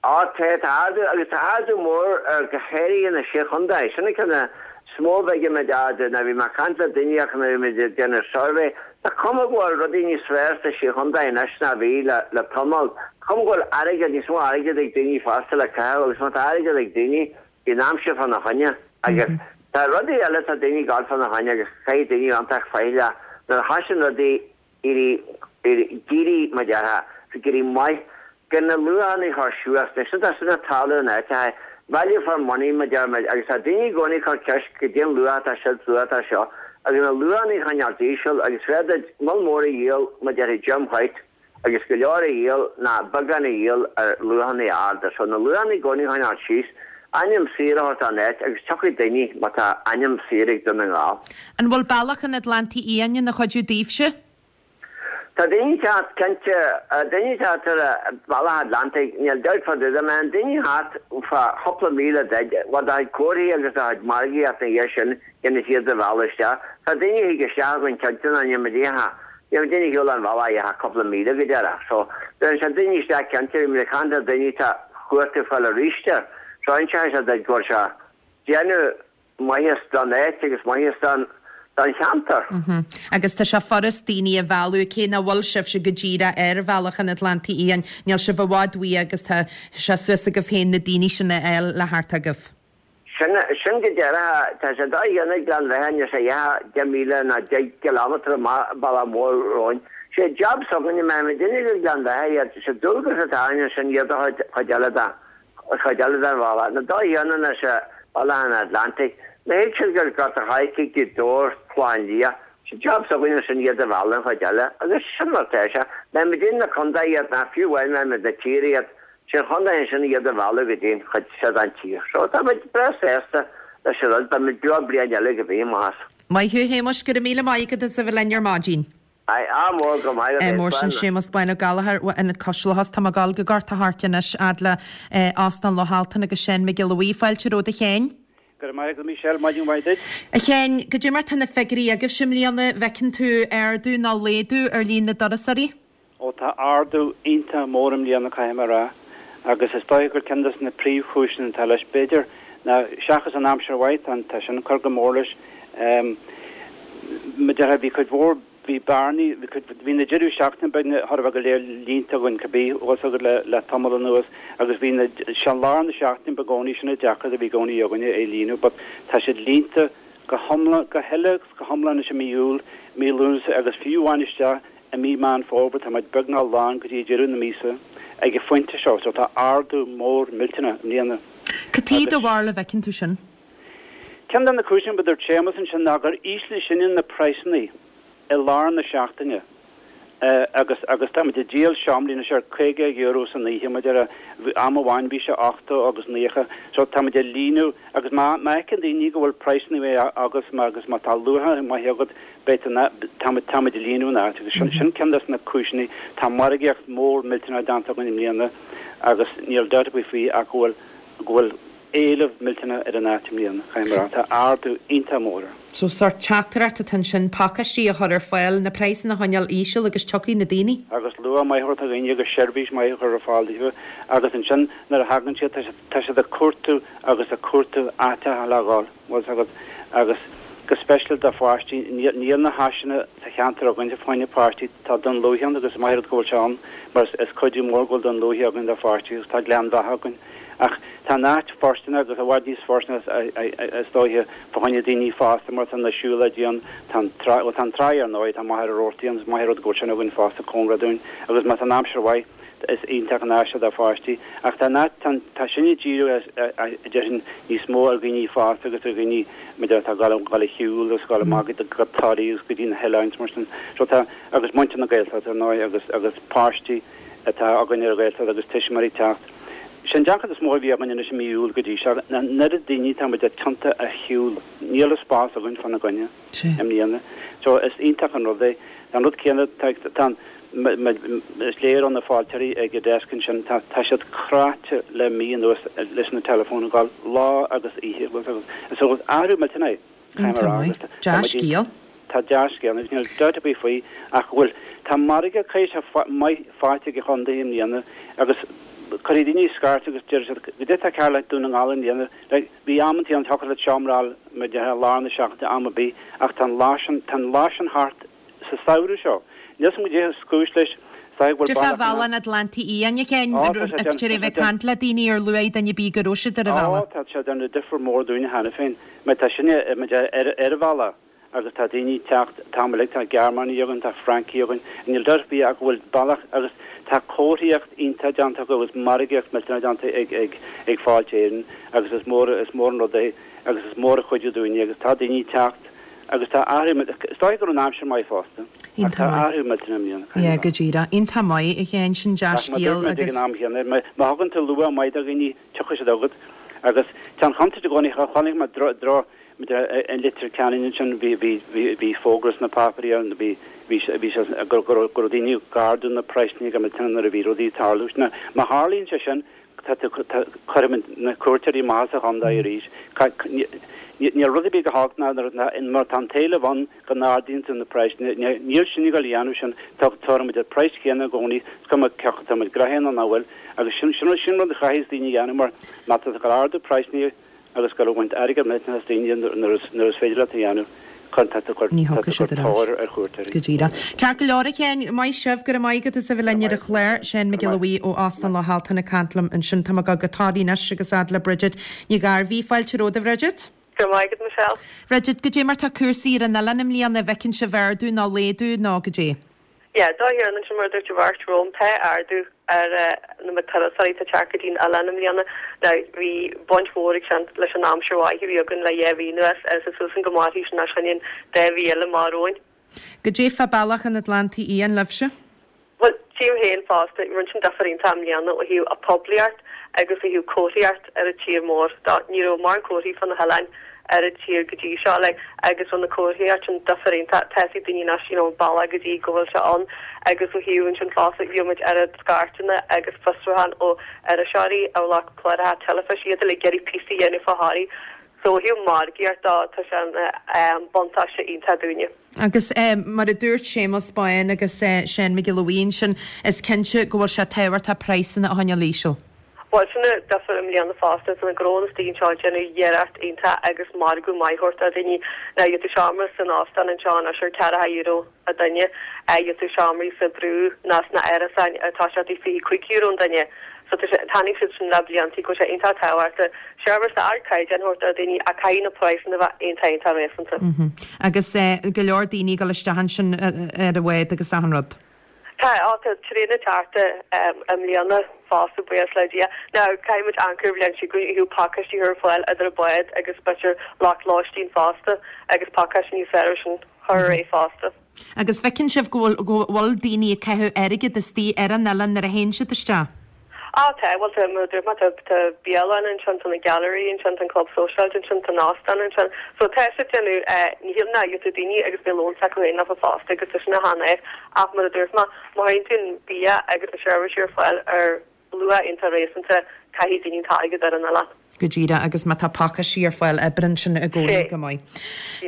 Á, tá, tá ardú, agus tá ardú mór ar go háirithe na Sé Chontae. Sin an ceann is mó a bhfeicimid ardú. Nuair a bhí mé ag caint le daoine ach nuair a bhí muid ag déanamh suirbhé, tá cuma go bhfuil rudaí níos fearr sna Sé Chontae anois ná bhí le, le tamall. Tá cuma go bhfuil airgead, níos mó airgead ag daoine fosta le caitheamh agus má tá airgead ag daoine, bíonn aimsir fána choinne. Agus tá rudaí eile, tá daoine ag gabháil fána choinne agus caithfidh daoine iontach faichilleach nuair a thosaíonn rudaí éirí, d'éirí, mar déarfá, ag éirí maith, gan na luachanna a chur suas, nó sin, tá sin ag tarlú in áiteacha, value for money, mar deir muid, agus tá daoine i gcónaí ag cur ceist goidé an luach atá seo, luach atá seo, agus na luachanna a choinneáilt íseal, agus b'fhearr duit moll mór a dhíol, mar déarfaí Jim White, agus go leor a dhíol ná beagán a dhíol ar luachanna arda, so na luachanna i gcónaí a choinneáilt síos, ainm saor a thabhairt don áit agus tiocfaidh daoine má tá ainm saor ag Dún na nGall. An bhfuil Bealach an Atlantaigh Fhiáin ina chuidiú daoibhse? Tá daoine ag teacht, cinnte. Daoine ag teacht ar an Bhealach Atlantaigh, níl dabht fá dtaobh de. Má bhíonn daoine thart fá chúpla míle duit, bhuel, do chuid comharthaí agus do chuid margaíocht ina dhiaidh sin, déanfaidh siad do mhealladh isteach. Tá daoine a thig isteach againn cinnte ná níl muid ach, níl muid ina shiúl an bhealach ach cúpla míle go deireadh. So, bheireann sé daoine isteach cinnte, bhí muid ag caint le daoine atá cuairt ag fáil arís air. So, inseoidh sé duit go bhfuil sé déanamh maitheas don áit agus maitheas don cheantar. Agus tá sé furast daoine a mhealladh, cé nach bhfuil sibhse go díreach ar Bhealach an Atlantaigh Fhiáin, níl sibh i bhfad uaidh agus tá sé suas agaibh féin na daoine sin a fháil le theacht chugaibh. Sin, sin go díreach, tá sé dodhéanta ag Gleann Bheatha, níl sé ach 10 míle ná 10 gcileámeter amach bealach mór romhainn. Sé jab s'againne, má théimid ag Gleann Bheatha iad, sé dualgas atá orainn ansin iad a chuid eile de. An chuid eile den bhealach, na dodhéanta anois Bealach an Atlantaigh, má thig siad go Gort a' Choirce, Gaoth Dobhair, Clochán Liath, sé jab s'againn ansin iad a mhealladh an chuid eile, agus sin mar atá sé. Má muidinne na contae iad, ná fiú amháin má muid na tíre iad, sé an chontae ansin iad a mhealladh go dtí an chuid seo den tír. So tá muid breá sásta leis an rud, beidh muid beo bliain eile go bhfíonn, más. Maith thú, a Shéamuis, go raibh míle maith agat as a bheith linn ar maidin. Aye, ádh mór, go maith agat, Mór sin Séamus Bán Ó Gallchóir ó Ionad Cois Locha. Tá mé ag dul go Gort a' Choirce anois fhad le Óstán Loch Altan agus Seán Mac Giolla Bhuí. Fáilte romhat a Sheáin. Go raibh maith agat a Michelle, maidin mhaith duit. A Sheáin, goidé mar tá na figiúirí agaibhse i mbliana, an bhfeiceann tú ardú nó laghdú ar líon na dturasóirí? Ó tá ardú iontach mór i mbliana caithfidh mé a rá agus is dóiche gur ceann des na príomhchúiseanna atá leis b'fhéidir ná seachas an aimsir mhaith, tá, tá sin ag cur go mór leis. Mar a déarfá bhí cuid mhór, bhí bearnaí, bhí cuid, bhí na deireadh seachtaine beagnach chóir a bheith go léir líonta againn cibé, bhfuil fhios agat le, le tamall anuas agus bhí na, sé lár na seachtaine ba i gcónaí sin an deacracht a bhí i gcónaí againne é a líonadh but tá siad líonta go hiomlán, go huile agus go hiomlán anois i mí Iúil, mí Lúnasa agus fiú amháin isteach I mí Meán Fómhair tá muid beagnach lán go dtí deireadh na míosa ag an phointe seo so tá ardú mór millteanach i mbliana. Cad chuige do bharúil a bhfeiceann tú sin? Ceann de na cúiseanna a dúirt Séamus ansin ná gur ísligh sinne na praghsanna i lár na seachtaine agus agus tá muid ag díol seomraí anois ar €50 san oíche, mar a déarfá, am amháin bhí sé 80 agus 90 so tá muid ag líonadh agus má má fheiceann daoine go bhfuil praghsanna maithe agus má agus má tá luach maith agat Beidh an, táimid, táimid ag líonadh an áit agus sin, sin ceann des na cúiseanna. Tá margaíocht mór millteanach déanta againn i mbliana agus níl dabht ar bith faoi ach go bhfuil, go bhfuil éileamh millteanach ar an áit i mbliana, caithfidh mé a rá. Tá ardú iontach mór air. So sórt teachtaireacht atá ansin, pacáistí a chur ar fáil, na praghsanna a choinneáil íseal agus tiocfaidh na daoine. Agus luach maith a thabhairt do dhaoine agus seirbhís maith a chur ar fáil daofa agus ansin nuair a thagann siad, tá siad, tá siad ag cuartú agus ag cuartú áiteacha le dhul. bhfuil fhios agat, agus go speisialta do pháistí, níl na háiseanna sa cheantar againn fá choinne páistí, tá Dún Lúiche ann agus is maith an rud go bhfuil sé ann mar is cuidiú mór go bhfuil Dún Lúiche againn do pháistí agus tá Gleann Bheatha againn. Ach tá an áit fóirsteanach agus i bhfad níos fóirsteanaí is dóiche fá choinne daoine fásta mar tá na siúlóidí ann, tá an trá, bhuel tá an trá ar ndóigh, tá Machaire Rabhartaigh ann, is maith an rud go bhfuil sin againn fosta cóngarach dúinn agus má tá an aimsir mhaith, Is iontach an áis é do pháistí. Ach tá an, tá, tá sin ag díriú, a déarfainn, níos mó ar dhaoine fásta agus ar dhaoine, b'fhéidir, atá ag dul, dul ag shiúl agus ag dul amach go, go Toraigh agus go dtí na hoileáin is mar sin. So tá, agus muintir na Gaeltachta, ar ndóigh, agus, agus páistí atá againn ar an Ghaeltacht agus tuismitheoirí ag teacht. Sé an deacracht is mó a bhí againn anois i mí Iúil go dtí seo, ná an oiread daoine atá muid ag tiontú ar shiúl. Níl an spás againn fána gcoinne. i mbliana. So is iontach an rud é. Tá an rud céanna, tá, tá an, is léir ó na fáilteoirí ag an desk ansin, tá, tá siad cráite le mí anuas leis na teileafóin ag gabháil lá agus oíche. Bhfuil fhios agat. So is athrú millteanach é, caithfidh mé a rá, agus tá, tá muid Dea-scéal. Tá dea-scéal agus níl dabht ar bith faoi ach go bhfuil, tá margadh caoiseach maith faighte ag an chontae i mbliana agus cuirfidh daoine scairt agus deir siad, goidé tá cearr le Dún na nGall i mbliana, like, Bhí amantaí ann thiocfadh leat seomra a fháil mar a déarfá i lár na seachtaine am ar bith ach tá an lá sin, tá an lá sin thart sa samhradh seo. Níl 's agam goidé is cúis leis, is dóigh go bhfuil Cad é fá bealach bhealach an Atlantaigh Fhiáin, a Sheáin, Á, tá sé ag déanamh, tar tá a sé bheith ag déanamh. caint le daoine ar luaigh duine ar bith go raibh siad ar an Á, bhealach. tá sé ag déanamh difear mór dúinne cheana féin mar tá sinne, mar a déarfá, ar, ar an bhealach. agus tá daoine ag teacht, tamall uilig, tá Gearmánaigh againn, tá Francaigh againn, níl dabht ar bith ach go bhfuil bealach agus tá comharthaíocht iontach déanta acu agus margaíocht millteanach déanta ag, ag, ag Fáilte Éireann agus is mór, is mór an rud é agus is mór an chuidiú dúinne agus tá daoine ag teacht agus tá athrú, is dóigh go raibh an aimsir maith fosta ach tá athrú millteanach i mbliana, Yeah, go díreach. Iontach maith, a Sheáin, sin Ach mar dúirt dea-scéal muid ag agus. an am chéanna, má thugann tú luach maith do dhaoine, tiocfaidh siad chugat agus tá an chontúirt i gcónaí, chonaic mé dro, dro, I Leitir Ceanainn ansin bhí bhí bhí bhí fógra sna páipéirí ann bhí bhí sé bhí sé go go raibh go raibh daoine ag ardú na praghsanna go millteanach nuair a bhí rudaí ag tarlú. Now má tharlaíonn sé sin tá tú tá cuirfimid na cuairteoirí amach as an chontae arís. Ní níl rud ar bith chomh holc ná nuair nuair tá an t-éileamh ann go n-ardaíonn tú na praghsanna. Níl sinn ag dul a dhéanamh sin tá tabharfaimid an praghas céanna i gcónaí is cuma cé acu tá muid gnoitheach nó nach bhfuil agus sin sin sin rud a chaithfidh daoine a dhéanamh mar má tá tú ag ardú praghsanna agus ag dul a bhaint airgead millteanach as daoine nuair is féidir leat a dhéanamh, tá tú ag cur Ní thiocfaidh siad ar ais. tóir ar chuairteoirí. Go díreach. Ceart go leor, a Sheáin, maith sibh, go raibh maith agat as a bheith linn ar an chlár. Seán Mac Giolla Bhuí ó Óstán Loch Altan ag caint liom ansin. Tá mé ag dul go Toraigh anois agus fhad le Bridget Ní Ghairbhí. Fáilte romhat, a Bhridget. Go raibh maith agat, Michelle. Bridget, goidé mar tá cúrsaí ar an oileán i mbliana, an bhfeiceann sibh ardú nó laghdú nó goidé? Yeah, dá hiarrann ansin mar a dúirt an bheirt romham, tá ardú ar na turasóirí atá ag teacht go dtí'n oileán i mbliana. Now, bhí baint mhór ag sin leis an aimsir mhaith a bhí againn le dhá mhí anuas agus tá súil againn go mairfidh sin leis an dá mhí eile amach romhainn. Goidé fá bealach an Atlantaigh Fhiáin libhse? Bhuel, tchím féin fosta, rinne sin difear iontach i mbliana ó thaobh a poiblíocht agus ó thaobh comharthaíocht ar an tír mór. Ní raibh mórán comharthaí fá na hoileáin. ar an tír go dtí seo like agus bhfuil na comharthaíocht sin difear iontach tá fhios ag daoine anois you know an bealach go dtí go bhfuil sé ann agus ó thaobh ansin fosta gheobhaimid oiread scairteanna agus fiosrúchán ó iriseoirí ó lucht cláracha teilifíse iad uilig ag iarraidh píosaí a dhéanamh fá Thoraigh so ó thaobh margaíocht dó tá sé ina buntáiste iontach dúinne. Agus mar a dúirt Séamus Bán agus Seán Mac Giolla Bhuí ansin is cinnte go bhfuil sé tábhachtach praghsanna a choinneáil íseal. Bhuel, sin an difear i mbliana fosta, tá na gnónna istigh anseo ag déanamh iarracht iontach agus margadh maith a thabhairt do dhaoine. Now, gheobhaidh tú seomra san óstán anseo anois ar ceathracha euro an duine, gheobhaidh tú seomraí sa brú nó sna árasáin atá sé €25 an duine. So tá sé, tháinig siad sin le blianta go bhfuil sé iontach tábhachtach seirbhís d'ardchaighdeán a thabhairt do dhaoine ach caithfidh na praghsanna a bheith iontach iontach réasúnta. Agus go leor daoine ag dul isteach ansin ar an bhád agus achan rud. Tá, á, tá tréan ag teacht i mbliana fosta, buíochas le Dia. Now, caithfidh muid amharc ar an bhliain seo chugainn ó thaobh pacáistí a chur ar fáil idir an bád agus b'fhéidir lucht lóistín fosta agus pacáistí níos fearr sin a chur ar aghaidh fosta. Agus feiceann sibh go bhfuil, go bhfuil daoine ag caitheamh airgead istigh ar an oileán nuair a théann siad isteach? Á, tá, bhuel tá, mar a dúirt mé, tá, tá bialann ansin, tá na gailearaí ansin, tá an club sóisialta ansin, tá an óstán ansin. So tá siad ag déanamh, eh, ní shílim ná gheobhaidh tú daoine agus beidh lón s'acu féin leofa fosta agus tá sin an-ait ach mar a dúirt mé, má chuireann tú an bia agus na seirbhísí ar fáil ar luach iontach réasúnta, caithfidh daoine an t-airgead ar an oileán. Go díreach, agus má tá pacáistí ar fáil oibríonn sin i gcónaí go maith.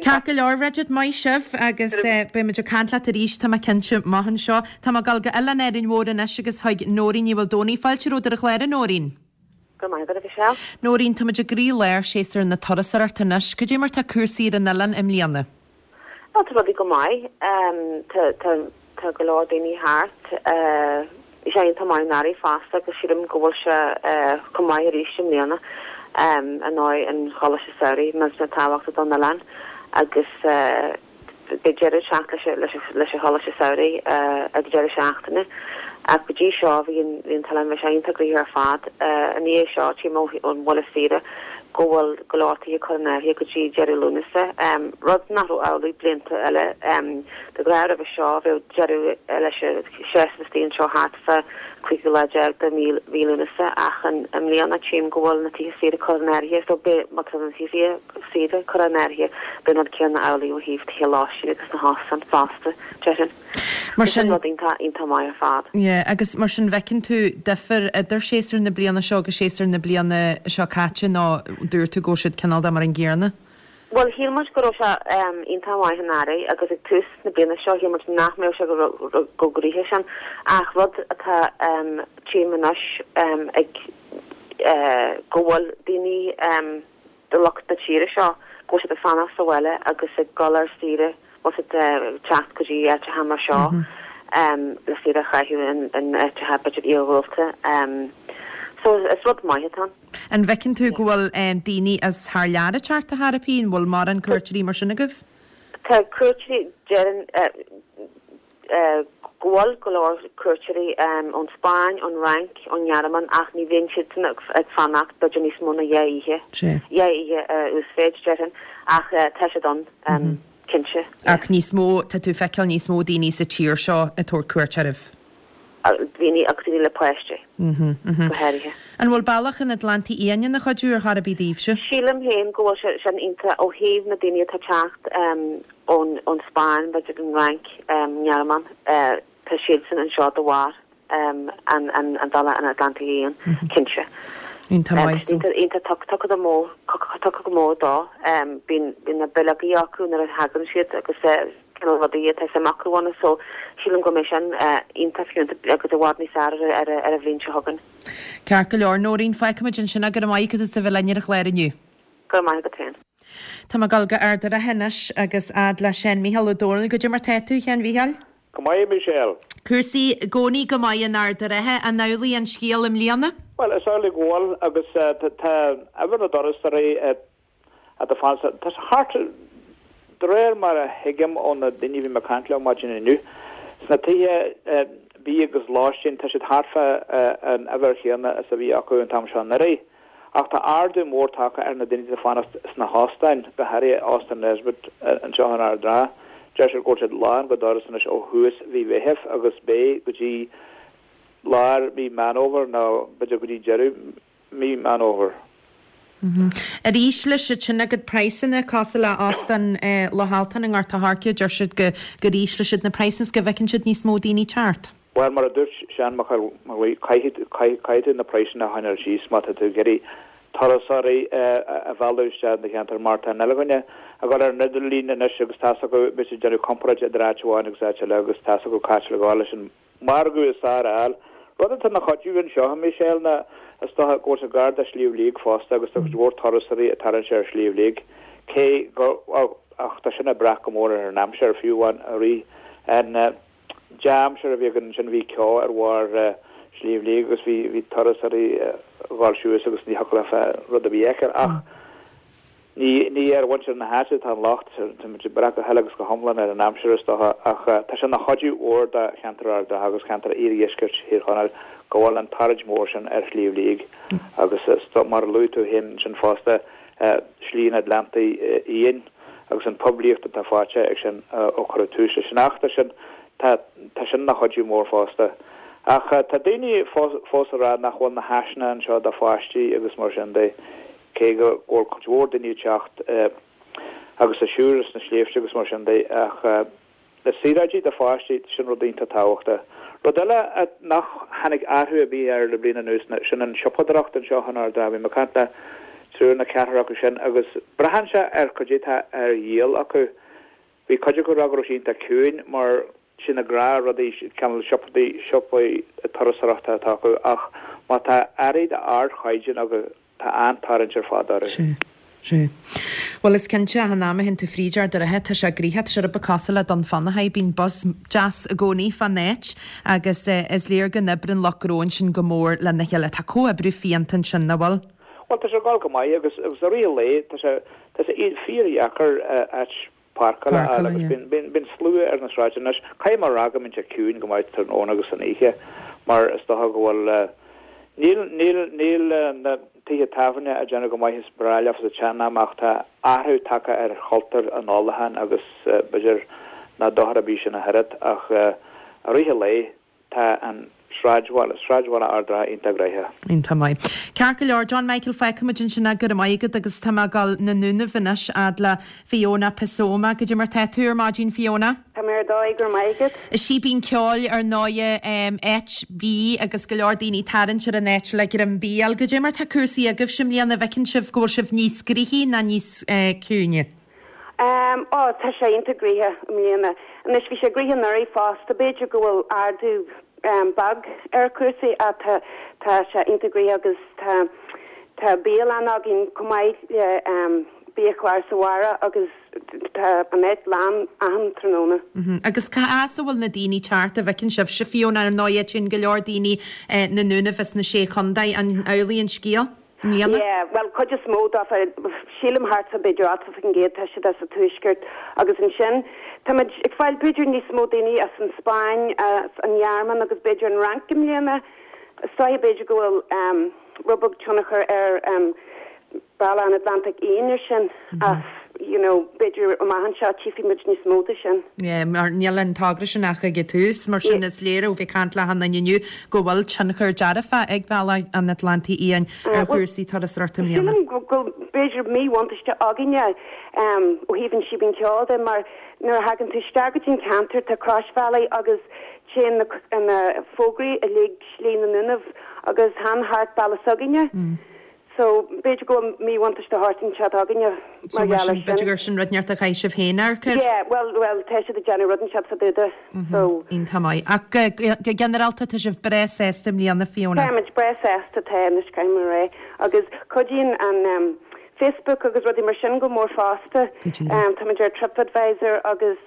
Ceart go leor, Bridget, maith sibh agus beidh muid ag caint leat arís, tá mé cinnte, amach anseo. Tá mé ag dul go Oileán Árainn Mhór anois agus chuig Nóirín Ní Mhaoldomhnaigh. Fáilte romhat ar an chlár, a Nóirín. Go raibh maith agat, a Mhichelle. Nóirín, tá muid i gcroí-lár séasúr na turasóireachta anois. Cad é mar tá cúrsaí ar an oileán i mbliana? Bhuel, tá rudaí go maith. Tá go leor daoine thart. Bhí sé iontach maith anuraidh fosta agus sílim go bhfuil sé chomh maith arís i mbliana. Ar ndóigh, an Choláiste Samhraidh millteanach tábhachtach don oileán agus beidh deireadh ag teacht leis an Choláiste Samhraidh ag an deireadh seachtaine. Ach go dtí seo bhí an t-oileán, bhí sé iontach gnoitheach ar fad. I ndiaidh seo, tchím ón bhaile saoire go bhfuil go leor tithe curtha in áirithe go dtí deireadh Lúnasa, rud nach raibh amhlaidh blianta eile. De ghnáth roimhe seo bheadh deireadh leis an séasúr istigh anseo thart fá 15ú lá de mhí Lúnasa ach i mbliana tchím go bhfuil na tithe saoire curtha in áirithe so beidh, má tá na tithe saoire curtha in áirithe beidh an rud céanna amhlaidh ó thaobh tithe lóistín agus na hóstáin fosta, déarfainn. Mar sin. Rud iontach, iontach maith ar fad. Yeah, agus mar sin bhfeiceann tú difear idir séasúr na bliana seo agus séasúr na bliana seo caite nó dúirt tú go bhfuil siad cineál de mar an gcéanna? Bhuel, shíl muid go raibh sé iontach maith anuraidh agus ag tús na bliana seo shíl muid nach mbeadh sé chomh gnoitheach sin ach rud atá tchím anois ag go bhfuil daoine de lucht na tíre seo go bhfuil siad ag fanacht sa bhaile agus ag dul ar saoire, bhfuil siad ag teacht go dtí áiteacha mar seo le saoire a chaitheamh in áiteacha b'fhéidir iarghúlta. So is rud maith atá ann. An bhfeiceann tú go bhfuil daoine as thar lear ag teacht ar chor ar bith? An bhfuil mórán cuairteoirí mar sin agaibh? Tá cuairteoirí, déarfainn, go bhfuil go leor cuairteoirí ón Spáinn, ón Fhrainc, ón nGearmáin ach ní bhíonn siadsan ag fanacht b'fhéidir níos mó ná dhá oíche, dhá oíche uasmhéid déarfainn, ach tá siad ann, cinnte. Ach níos mó, tá tú ag feiceáil níos mó daoine sa tír seo ag tabhairt cuairt oraibh? Daoine agus daoine le páistí, go háirithe. An bhfuil Bealach an Atlantaigh Fhiáin ina chuidiú ar chor ar bith daoibhse? Sílim féin go bhfuil sé sin iontach ó thaobh na daoine atá ag teacht ón ón Spáinn, b'fhéidir an Fhrainc, nGearmáin, tá siadsan anseo de bharr an an an Bhealach an Atlantaigh Fhiáin, cinnte. Iontach maith. Iontach iontach tugtha go mór tugtha go mór dó. Bíonn bíonn na bileogaí acu nuair a thagann siad agus cineál rudaí atá suim acu ann so sílim go mbeidh sin iontach fiúntach agus i bhfad níos fearr ar ar an bhliain seo chugainn. Ceart go leor, Nóirín, fágfaimid ansin é. Go raibh maith agat as a bheith linn ar an chlár inniu. Go raibh maith agat féin. Tá mé ag dul go Ard a' Rátha anois agus fhad le Seán Mícheál Ó Domhnaill. Goidé mar tá tú, a Sheáin Mhícheáil? Go maith, a Michelle. Cúrsaí i gcónaí go maith in Ard a' Rátha. An amhlaidh an scéal i mbliana? Bhuel, is amhlaidh go bhfuil agus tá uimhir na dturasóirí atá fanacht, tá sé thart, de réir mar a thuigim ó na daoine a bhí mé ag caint leo maidin inniu, sna tithe bídh agus lóistín, tá siad thart fá an uimhir chéanna is a bhí acu an t-am seo anuraidh. Ach tá ardú mór tagtha ar na daoine atá ag fanacht sna hóstáin, go háirithe Óstán Nesbitt anseo in Ard an Rátha. Deir siad go bhfuil siad lán go doras anois ó thús mhí Mheithimh agus beidh go dtí lár mhí Meán Fhómhair nó b'fhéidir go dtí deireadh mí Meán Fhómhair. Ar ísligh siad sin a gcuid praghsanna cosúil le Óstán Loch Altan i nGort a' Choirce, deir siad go gur ísligh siad na praghsanna is go bhfeiceann siad níos mó daoine teacht. Bhuel, mar a dúirt Seán Mac Amhlaigh, caithfidh tú na praghsanna a choinneáil síos má tá tú ag iarraidh turasóirí a mhealladh isteach in do cheantar mar tá an uile dhuine ag dul ar an idirlíon anois agus tá's acu, beidh siad ag déanamh comparáid idir áit amháin agus áit eile agus tá's acu cá háit le gabháil leis an margadh is fearr a fháil. Rud atá ina chuidiú anseo, a Michelle, ná is dócha go bhfuil sé gar do Shliabh Liag fosta agus tá cuid mhór turasóirí ag tarraingt ar Shliabh Liag, cé go, ach tá sin ag brath go mór ar an aimsir, fiú amháin i rith an dea-aimsir a bhí againn ansin bhí ceo ar bharr Shliabh Liag agus bhí, bhí turasóirí ag dhul suas agus ní thiocfadh leofa rud ar bith a fheiceáil ach Ní, ní ar mhuintir na háite atá an locht, tá muid ag brath go huile agus go hiomlán ar an aimsir is dócha, ach tá sé ina chuidiú mhór do cheantar Ard an Rátha agus ceantar iardheisceart Thír Chonaill go bhfuil an tarraingt mhór sin ar Shliabh Liag agus mar a luaigh tú féin ansin fosta, Slí an Atlantaigh Fhiáin agus an poiblíocht atá faighte ag sin ó cuireadh tús leis an fheachtas sin, tá, tá sin ina chuidiú mór fosta. Ach tá daoine fós ag rá nach bhfuil na háiseanna anseo do pháistí agus mar sin de. Cé go bhfuil cuid mhór daoine ag teacht agus ag siúl sna sléibhte agus mar sin de, ach na saoráidí do pháistí, sin rud iontach tábhachtach. Rud eile nach tháinig athrú ar bith air le bliain anuas ná sin an siopadóireacht anseo in Ard an Rátha. Bhí mé ag caint le triúr nó ceathrar acu sin agus braitheann sé ar cad é atá ar dhíol acu. Bhí cuid acu ag rá go raibh sé iontach ciúin mar sin na gnáthrudaí, cineál siopaí, siopaí turasóireachta atá acu ach má tá earraí d'ardchaighdeán acu tá an-tarraingt ar fad orthu. Sea. Sea. Bhuel is cinnte, achan am a théann tú fríd Ard an Rátha, tá sé gnoitheach, tá sé rud beag cosúil le Dún Fionnachaidh, bíonn buzz deas i gcónaí fán áit agus is léir go n-oibreann lucht gnó ansin go mór lena chéile. Tá comhoibriú fiúntach ansin, nach bhfuil? Bhuel tá sé ag dul go maith agus agus i rith an lae tá sé tá sé fíordheacair áit páirceála a fháil agus bíonn bíonn slua ar na sráideanna anois. Caithfidh mé a rá go mbíonn sé ciúin go maith tráthnóna agus san oíche mar is dócha go bhfuil níl níl níl na tithe tábhairne ag déanamh go maith is breá leofa sa tsean-am ach tá athrú tagtha ar chultúr an ólacháin agus b'fhéidir nach dochar ar bith sin ach oiread ach i rith an lae Tá an sráidbhaile, sráidbhaile Ard an Rátha iontach gnoitheach. Iontach maith. Ceart go leor, John Michael, fágfaimid ansin é, go raibh maith agat agus tá mé ag dul na Dúnaibh anois fhad le Fiona Pasoma. Goidé mar tá tú ar maidin, Fiona? Tá mé ar dóigh, go raibh maith agat. Síbín Ceoil ar ndóighe, áit bídh agus go leor daoine ag tarraingt ar an áit le greim bídh a fháil. Goidé mar tá cúrsaí agaibhse i mbliana, an bhfeiceann sibh go bhfuil sibh níos gnoithí ná níos ciúine? Em, ó, tá sé iontach gnoitheach i mbliana. Anois, bhí sé gnoitheach anuraidh fosta, b'fhéidir go bhfuil ardú, em, beag ar chúrsaí ach tá, tá sé iontach gnoitheach agus tá, tá bialann againn chomh maith le, em, biachlár sa bharra agus tá an áit lán achan tráthnóna. Mhm. Agus cá as a bhfuil na daoine ag teacht, an bhfeiceann sibhse, Fiona, ar ndóighe, téann go leor daoine, eh, na nDúnaibh is na Sé Chontae, an amhlaidh an scéal? mbliana. Yeah, bhuel, cuid is mó dófa, sílim thart fá b'fhéidir 80% tá siad as an tuaisceart agus ansin táimid ag fáil b'fhéidir níos mó daoine as an Spáinn, as an Ghearmáin agus b'fhéidir an Fhrainc i mbliana. Is dóiche b'fhéidir go bhfuil ehm rud beag tionchar ar ehm Bealach an Atlantaigh Fhiáin ar sin ach you know b'fhéidir amach anseo tchífidh muid níos mó de sin. Yeah, mar níl an togra sin ach ag an tús, mar sin is léir ó bheith ag caint le achan duine inniu go bhfuil tionchar dearfach ag Bealach an Atlantaigh Fhiáin ar chúrsaí turasóireachta i mbliana. Sílim go bhfuil b'fhéidir míbhuntáiste againne ó thaobh an Síbín Ceoil de mar nuair a thagann tú isteach go dtí an ceantar tá croisbhealaí agus téann na fógraí uilig Slí na nDúnaibh agus chan thart bealach s'againne. So, b'fhéidir go bhfuil míbhuntáiste thart anseo againne mar gheall air sin. B'fhéidir gur sin rud inteacht a chaithfidh sibh féin amharc air. Yeah, bhuel, bhuel, tá siad ag déanamh rud inteacht fá dtaobh de, so. Iontach maith. Ach go ginearálta tá sibh breá sásta i mbliana, Fiona? Táimid breá sásta, tá, anois caithfidh mé a rá. Agus cuidíonn an Facebook agus rudaí mar sin go mór fosta. Go díreach. Táimid ar TripAdvisor agus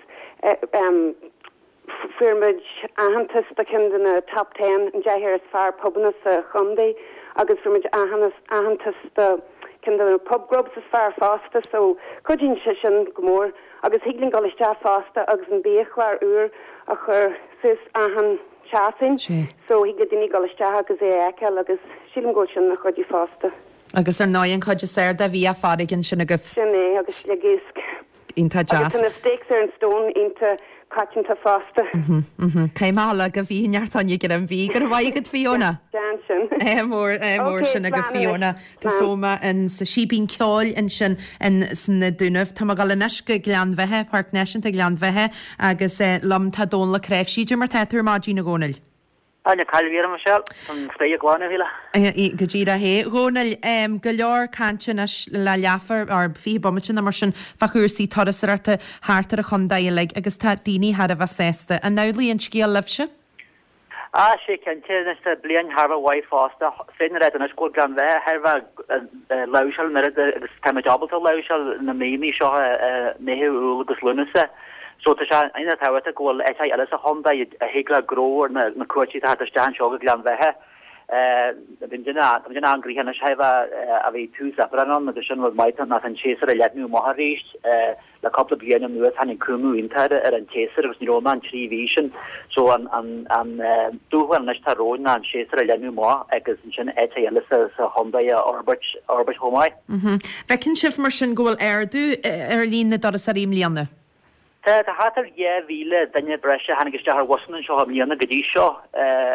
Fuair muid aitheantas do cheann de na Top Ten, an 10 is fearr pubanna sa chontae agus fuair muid aitheantas do ceann de na pub grubs is fearr fosta so cuidíonn sé sin go mór agus thig linn dul isteach fosta agus an biachlár úr a chur suas achan seachtain so thig le daoine dul isteach agus é a fheiceáil agus sílim go bhfuil sin ina chuidiú fosta. Agus ar ndóigh an chuid is fearr de bhia farraige ansin agaibh. Sin é agus sliogiasc. Iontach deas. Agus tá na steaks ar an stone iontach. coitianta fosta. Caithfidh mé a ghabháil go Fiadh Ní Neachtain ag an Mhí. Go raibh maith agat Fiona. Déan sin. Ádh mór, ádh mór sin agat Fiona. Pasoma in sa Síbín Ceoil ansin in sna Dúnaibh. Tá mé ag dul anois go Gleann Bheithe, Páirc Náisiúnta Ghleann Bheithe agus liom tá Dónal Ó Cnáimhsí. Cad é mar tá tú ar maidin a Dhónaill? Tá na cailíní ar Michelle, an spéir glan a shíle. Go díreach é. Dhónaill, go leor cainte anois le leathuair or 20 bomaite nó mar sin fá chúrsaí turasóireachta thart ar an chontae uilig agus tá daoine thar a bheith sásta. An amhlaidh an scéal libhse? Ah, sé cinnte, anois tá bliain thar a bheith mhaith fosta. Féadfainn a ráit anois go bhfuil Gleann Bheithe thar a bheith láimhseáil an oiread agus táimid ábalta a láimhseáil na míonna seo, Meitheamh, Iúil agus Lúnasa. So tá sé iontach tábhachtach go bhfuil áiteacha eile sa chontae a thig le gnó ar na cuairteoirí atá ag teacht isteach anseo go Gleann Bheithe. Bíonn duine, tá muid an-ghnoitheach anois thaobh a bhí tús Aibreán ann agus sin rud maith ná tá an tséasúr ag leathnú amach arís. Le cúpla bliain anuas tháinig cúngú iontach ar an tséasúr agus ní raibh ann ach an 3 mhí sin. So an dúshlán anois atá romhainn ná an séasúr a leathnú amach agus ansin áiteacha eile sa chontae a fhorbairt chomh maith. Feiceann sibh mar sin go bhfuil ardú ar líon na dturasóirí i mbliana? Tá, tá thart ar 2,000 duine breise a tháinig isteach ar bhusanna anseo i mbliana go dtí seo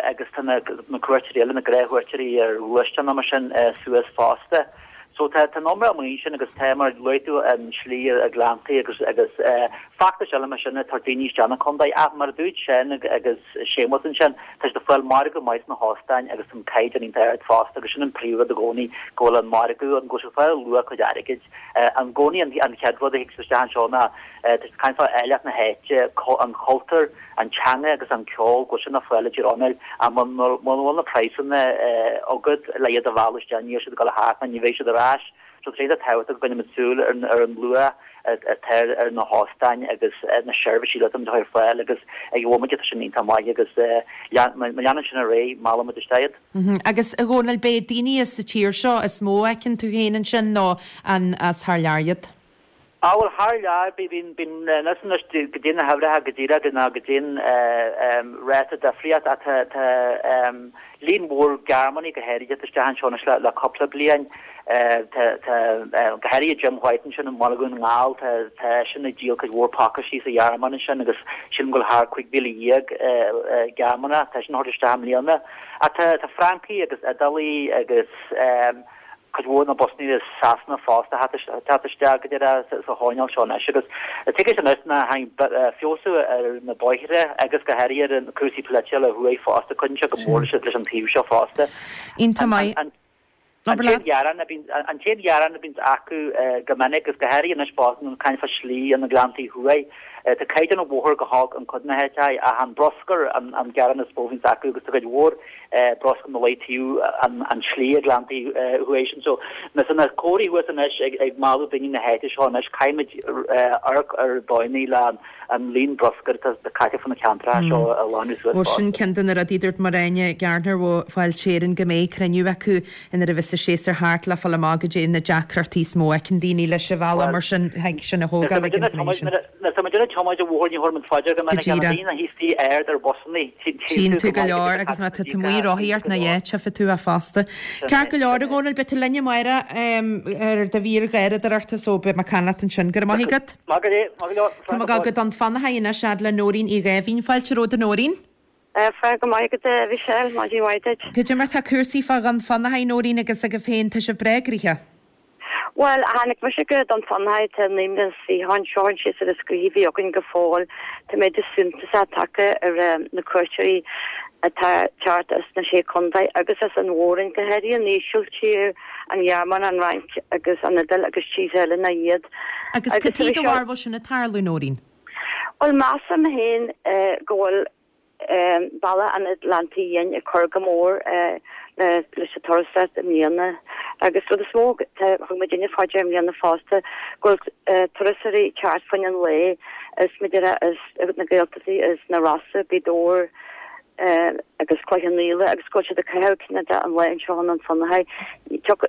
agus tá na cuairteoirí eile, na gnáthchuairteoirí ar ghluaisteáin nó mar sin suas fosta. So tá tá an iomrá amuigh ansin agus tá mar a luaigh tú an slí i Gleanntaí agus agus feachtais eile mar sin ag tabhairt daoine isteach na contae ach mar a dúirt Seán agus Séamus ansin, Tá siad ag fáil margadh maith sna hóstáin agus an caighdeán iontach ard fosta agus sin an príomhrud i gcónaí, go bhfuil an margadh ann, go bhfuil siad ag fáil luach a gcuid airgid. I gcónaí an chéad rud a thig siad isteach anseo ná tá siad ag caint fá áilleacht na háite, an chultúr, an teanga agus an ceol, go bhfuil sin le fáil i dTír Chonaill ach muna bhfuil na praghsanna agat le iad a mhealladh isteach níl siad ag dul a theacht ná ní bheidh siad ar ais. So tá sé iontach tábhachtach go gcoinnímid súil ar an luach atá ar na hóstáin agus na seirbhísí atá ar fáil agus ag an bhomaite tá sin iontach maith agus má leanann sin ar aghaidh, meallfaimid isteach iad. Agus a Dhónaill, b'é daoine as an tír seo is mó a fheiceann tú féin ansin nó an as thar lear iad? Á bhuel thar lear, bíonn, bíonn, anois anois cad é na huimhreacha go díreach ná cad é an ráta difríocht ach tá, tá líon mhór Gearmánaigh go háirithe ag teacht isteach anseo anois le, le cúpla bliain. Tá, tá, go háirithe Jim White ansin i mBaile Dhún na nGall, tá, tá eisean ag díol cuid mhór pacáistí sa Ghearmáin ansin agus sílim go bhfuil thar 15,000 Gearmánach, tá eisean a thabhairt isteach i mbliana. Ach tá, tá Francaigh agus Iodálaigh agus, cuid mhór na busanna as Sasana fosta ag teacht isteach go deireadh sa choirnéal seo anois agus tuigfidh anois ná tháinig feabhsú ar na bóithre agus go háirithe ar na cúrsaí polaitiúla thuaidh fosta, cuidíonn sé go mór leis an taobh seo fosta. Iontach maith. An t-aon ghearán a bhíonn an t-aon ghearán a bhíonns acu go minic agus go háirithe anois fosta nuair caint fá slí an na Gleanntaí Thuaidh, tá caighdeán an bhóthair go holc in cuid de na háiteacha ach an bruscar an gearán is mó a bhíonns acu agus tá cuid mhór bruscar ina luí taobh an tslí i nGleanntaí Thuaidh sin. So na na comharthaí thuas anois ag ag mealladh daoine na háite seo anois, caithfimid amharc ar dóigheanna le an líon bruscair atá caite fá na ceantracha seo a ghlanadh suas Bhuel sin ceann de na rudaí a dúirt Maráine Gardner ó Fáilte Éireann go mbeidh cruinniú acu nuair a bheas an séasúr thart le fáil amach goidé na deacrachtaí is mó a fheiceann daoine leis an bhealach mar sin thig sin a thógáil ag an chruinniú sin. Nuair atá muid ag tiomáint an bhóthair ní thabharfaidh muid fá dear go minic Go ach na díreach. daoine thíos tí aird ar bhusanna. Tchíonn tú go leor agus má tá tú amuigh ag rothaíocht ná yeah, tchífidh tú é fosta. Ceart go leor, a Dhónaill, beidh tú linn amárach ar do mhír gharradóireachta so beidh mé ag caint leat ansin. Go raibh maith agat. Maith go leor, maith go leor. Tá mé ag dul go Dún Fionnachaidh anois fhad le Nóirín Uí Dháimhín. Fáilte romhat a Nóirín. Fáilte go maith agat a Mhichelle, maidin mhaith duit. Goidé mar tá cúrsaí fá Dhún Fionnachaidh, Nóirín, agus agaibh féin, tá sibh breá gnoitheach. Bhuel, tháinig mise go Dún Fionnachaidh, tá 29 is anseo, an séasúr is gnoithí a bhí againn go fóill. Tá méadú suntasach tagtha ar na cuairteoirí atá ag teacht as na Sé Chontae agus as an Mhór-Roinn, go háirithe an Ísiltír, an Ghearmáin, an Fhrainc agus an Iodáil agus tíortha eile ná iad. Agus cad chuige do bharúil sin ag tarlú, Nóirín? Bhuel, measaim féin go bhfuil Bealach an Atlantaigh Fhiáin ag cur go mór leis an turasóireacht i mbliana agus rud is mó, thug muidinne fá dear i mbliana fosta go bhfuil turasóirí ag teacht fá choinne an lae as Madeira, as na Gaeltachtaí, as na Rosa, Gaoth Dobhair agus Cloich Cheann Fhaola agus go bhfuil siad ag caitheamh cineál de an lae anseo i nDún Fionnachaidh. Thug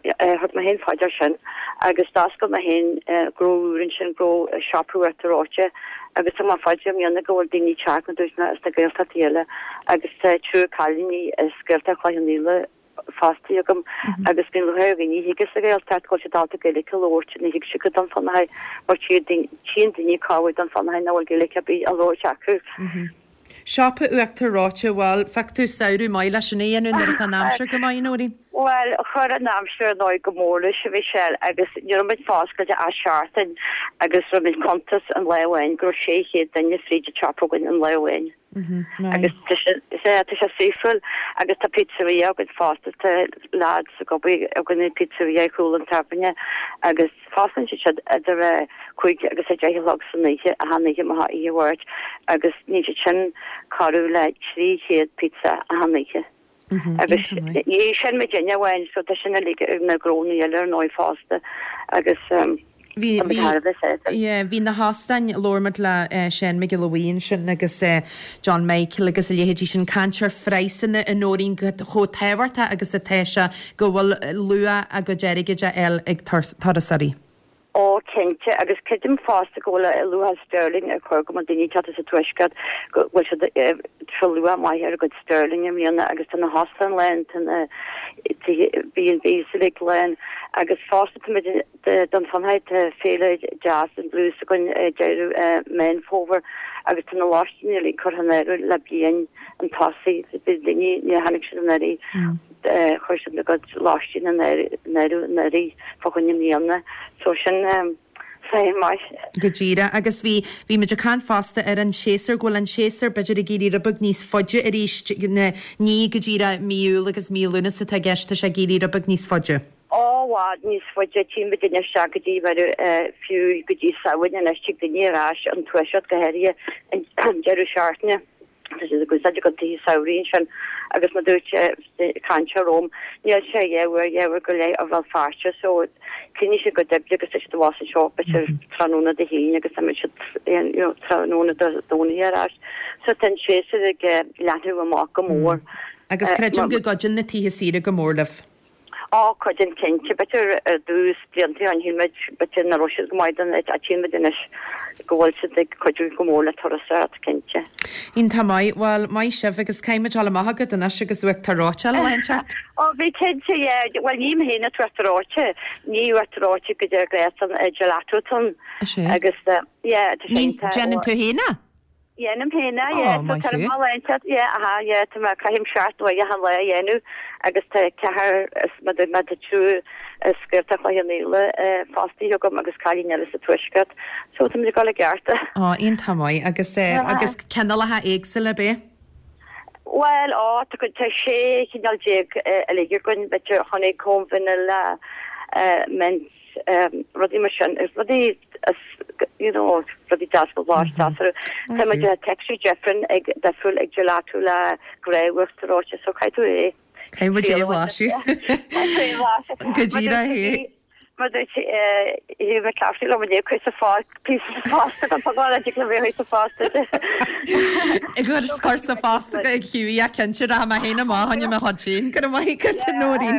mé féin fá dear sin agus d'oscail mé féin gnó úr ansin, gnó siopa Uachtar Reoite. Agus thug mé fá dear i mbliana go bhfuil daoine ag teacht mar a dúirt mé as na Gaeltachtaí eile agus tá triúr cailíní as Gaeltacht Chloich Cheann Fhaola. fostaithe agam agus bíonn lúcháir ar dhaoine a thig as an Ghaeltacht go bhfuil siad ábalta Gaeilge a labhairt, ní thig siad go Dún Fionnachaidh mar tchíonn daoine cá bhfuil Dún Fionnachaidh nach bhfuil Gaeilge ar bith á labhairt acu. Siopa uachtar reoite, bhuel, phioc tú samhradh maith leis sin a dhéanamh nuair atá an aimsir go maith, Nóirín. Bhuel, chuir an aimsir ar ndóigh go mór leis, a Mhichelle, agus ní raibh muid foscailte ach seachtain agus rinne muid cuntas an lá amháin go raibh 600 duine fríd an tsiopa againn an lá amháin. Agus tá sé, tá sé saoithiúil agus tá pizzeria againn fosta, tá lads ag obair againn i pizzeria ar chúl an tábhairne agus Fosclaíonn siad idir a 5 agus a 10 a chlog san oíche, achan oíche má thá oíche Mháirt, agus níonn siad sin corradh le 300 pizza achan oíche. Agus ní sin muidinne amháin, so tá sin uilig ag na gnónna eile ar ndóigh fosta agus tá muid thar a bheith sásta. Yeah, bhí na hóstáin, labhair muid le Seán Mac Giolla Bhuí ansin agus John Michael agus a leithéidí sin, caint ar phraghsanna a Nóirín chomh tábhachtach agus atá sé go bhfuil luach a gcuid airgid á fháil ag turasóirí. Ó, cinnte, agus creidim fosta go bhfuil luach sterling ag cur go mbeadh daoine ag teacht as an tuaisceart, go bhfuil siad tá luach maith ar a gcuid sterling i mbliana agus tá na hóstáin lán, tá na B&Bs uilig lán agus fosta tá muid Dún Fionnachaidh, tá féile Jazz and Blues againn ag deireadh Meán Fómhair agus tá na lóistíní uilig curtha in áirithe le bliain chun tosaigh, bhí daoine, níor tháinig siad anuraidh. Chuir siad a gcuid lóistín in áirithe anuraidh fá choinne i mbliana. So sin sign maith. Go díreach. Agus bhí, bhí muid ag caint fosta ar an séasúr, go bhfuil an séasúr b'fhéidir ag éirí rud beag níos faide arís, ní go díreach mí Iúil agus mí Lúnasa atá i gceist, tá sé ag éirí rud beag níos faide. Ó, i bhfad níos faide, tchíonn muid isteach go dtí, fiú go dtí Samhain anois, tig daoine ar ais ón tuaisceart go háirithe an deireadh seachtaine. Tá siad ag úsáid a gcuid tithe samhraidh ansin agus mar dúirt cainteoir romham, níl sé dhá uair, dhá uair go leith ó Bhéal Feirste so críochnaíonn siad a gcuid oibre agus tá siad abhus anseo b'fhéidir tráthnóna Dé hAoine agus imíonn siad you know tráthnóna Dé Domhnaigh ar ais. So tá an séasúr ag leathnú amach go mór. Agus creidim go gcuidíonn na tithe saoire go mór libh. Á, cuidíonn cinnte. B'fhéidir ar dtús, blianta ó shin, shíl muid, b'fhéidir nach raibh siad go maith don áit, ach tchíonn muid anois go bhfuil siad ag cuidiú go mór le turasóireacht, cinnte. Iontach maith. Bhuel, maith sibh agus caithfidh muid dul amach agat anois agus uachtar reoite a fháil. Ó, bhí cinnte, yeah. Bhuel, ním féin an t-uachtar reoite. Ní uachtar reoite go dtí gréasán gelato atá ann. Is ea. Agus, yeah, tá sé iontach. Déanann tú féin é? Dhéanaim féin é, yeah, so tá mo léinte, yeah, aha, yeah, tá mé, caithim seacht uaire achan lá a dhéanamh agus tá ceathrar is má tá triúr as Gaeltacht Chloich Cheann Fhaola fostaithe agam agus cailín eile sa Tuaisceart, so tá muid ag dul i gceart. Á, iontach maith agus eh, agus cineálacha éagsúla ab ea? Bhuel, á, tá cuid, tá sé chineál déag uilig againn, b'fhéidir honeycomb, vanilla, mint, rudaí mar sin, rudaí you know, rudaí deas go blas deas orthu. Tá muid ag texture different ag difriúil ag gelato le gnáth-uachtar reoite so caithfidh tú é. Caithfidh muid é a bhlaiseadh. Caithfidh tú é a bhlaiseadh. Go díreach é. Mar dúirt Hugh McClafferty liom inniu cuir sa phost píosa sa phost agam tá go dtig liom é sa phost Gur cur sa phost ag Hughie a cinnte rachaidh mé féin amach fá choinne mo chuid féin go raibh maith agat a Nóirín.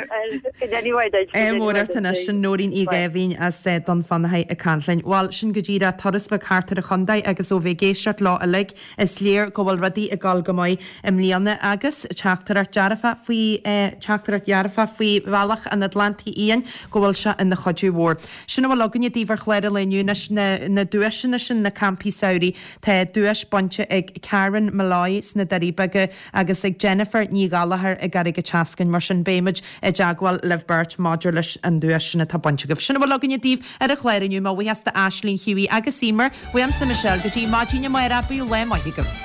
Ádh mór ort anois sin Nóirín Uí Dháimhín as Dún Fionnachaidh ag caint linn. Bhuel sin go díreach turas beag thart ar an chontae agus ó bheith ag éisteacht leo uilig is léir go bhfuil rudaí ag dul go maith i mbliana agus teachtaireacht dearfach faoi teachtaireacht dhearfach faoi Bhealach an Atlantaigh Fhiáin go bhfuil sé ina chuidiú mhór. Sin a bhfuil againne daoibh ar chlár an lae inniu anois, na na duaiseanna sin, na campaí samhraidh. Tá duais bainte ag Karen Molloy sna Doirí Beaga agus ag Jennifer Ní Ghallachair i gCarraig an tSeascainn. Mar sin beimid i dteagmháil libh beirt maidir leis an duais sin atá bainte agaibh. Sin a bhfuil againne daoibh ar an chlár inniu. Mo bhuíochas d'Aisling, Hughie agus Emer. Uaimse Michelle go dtí maidin amárach, bíodh lá maith agaibh.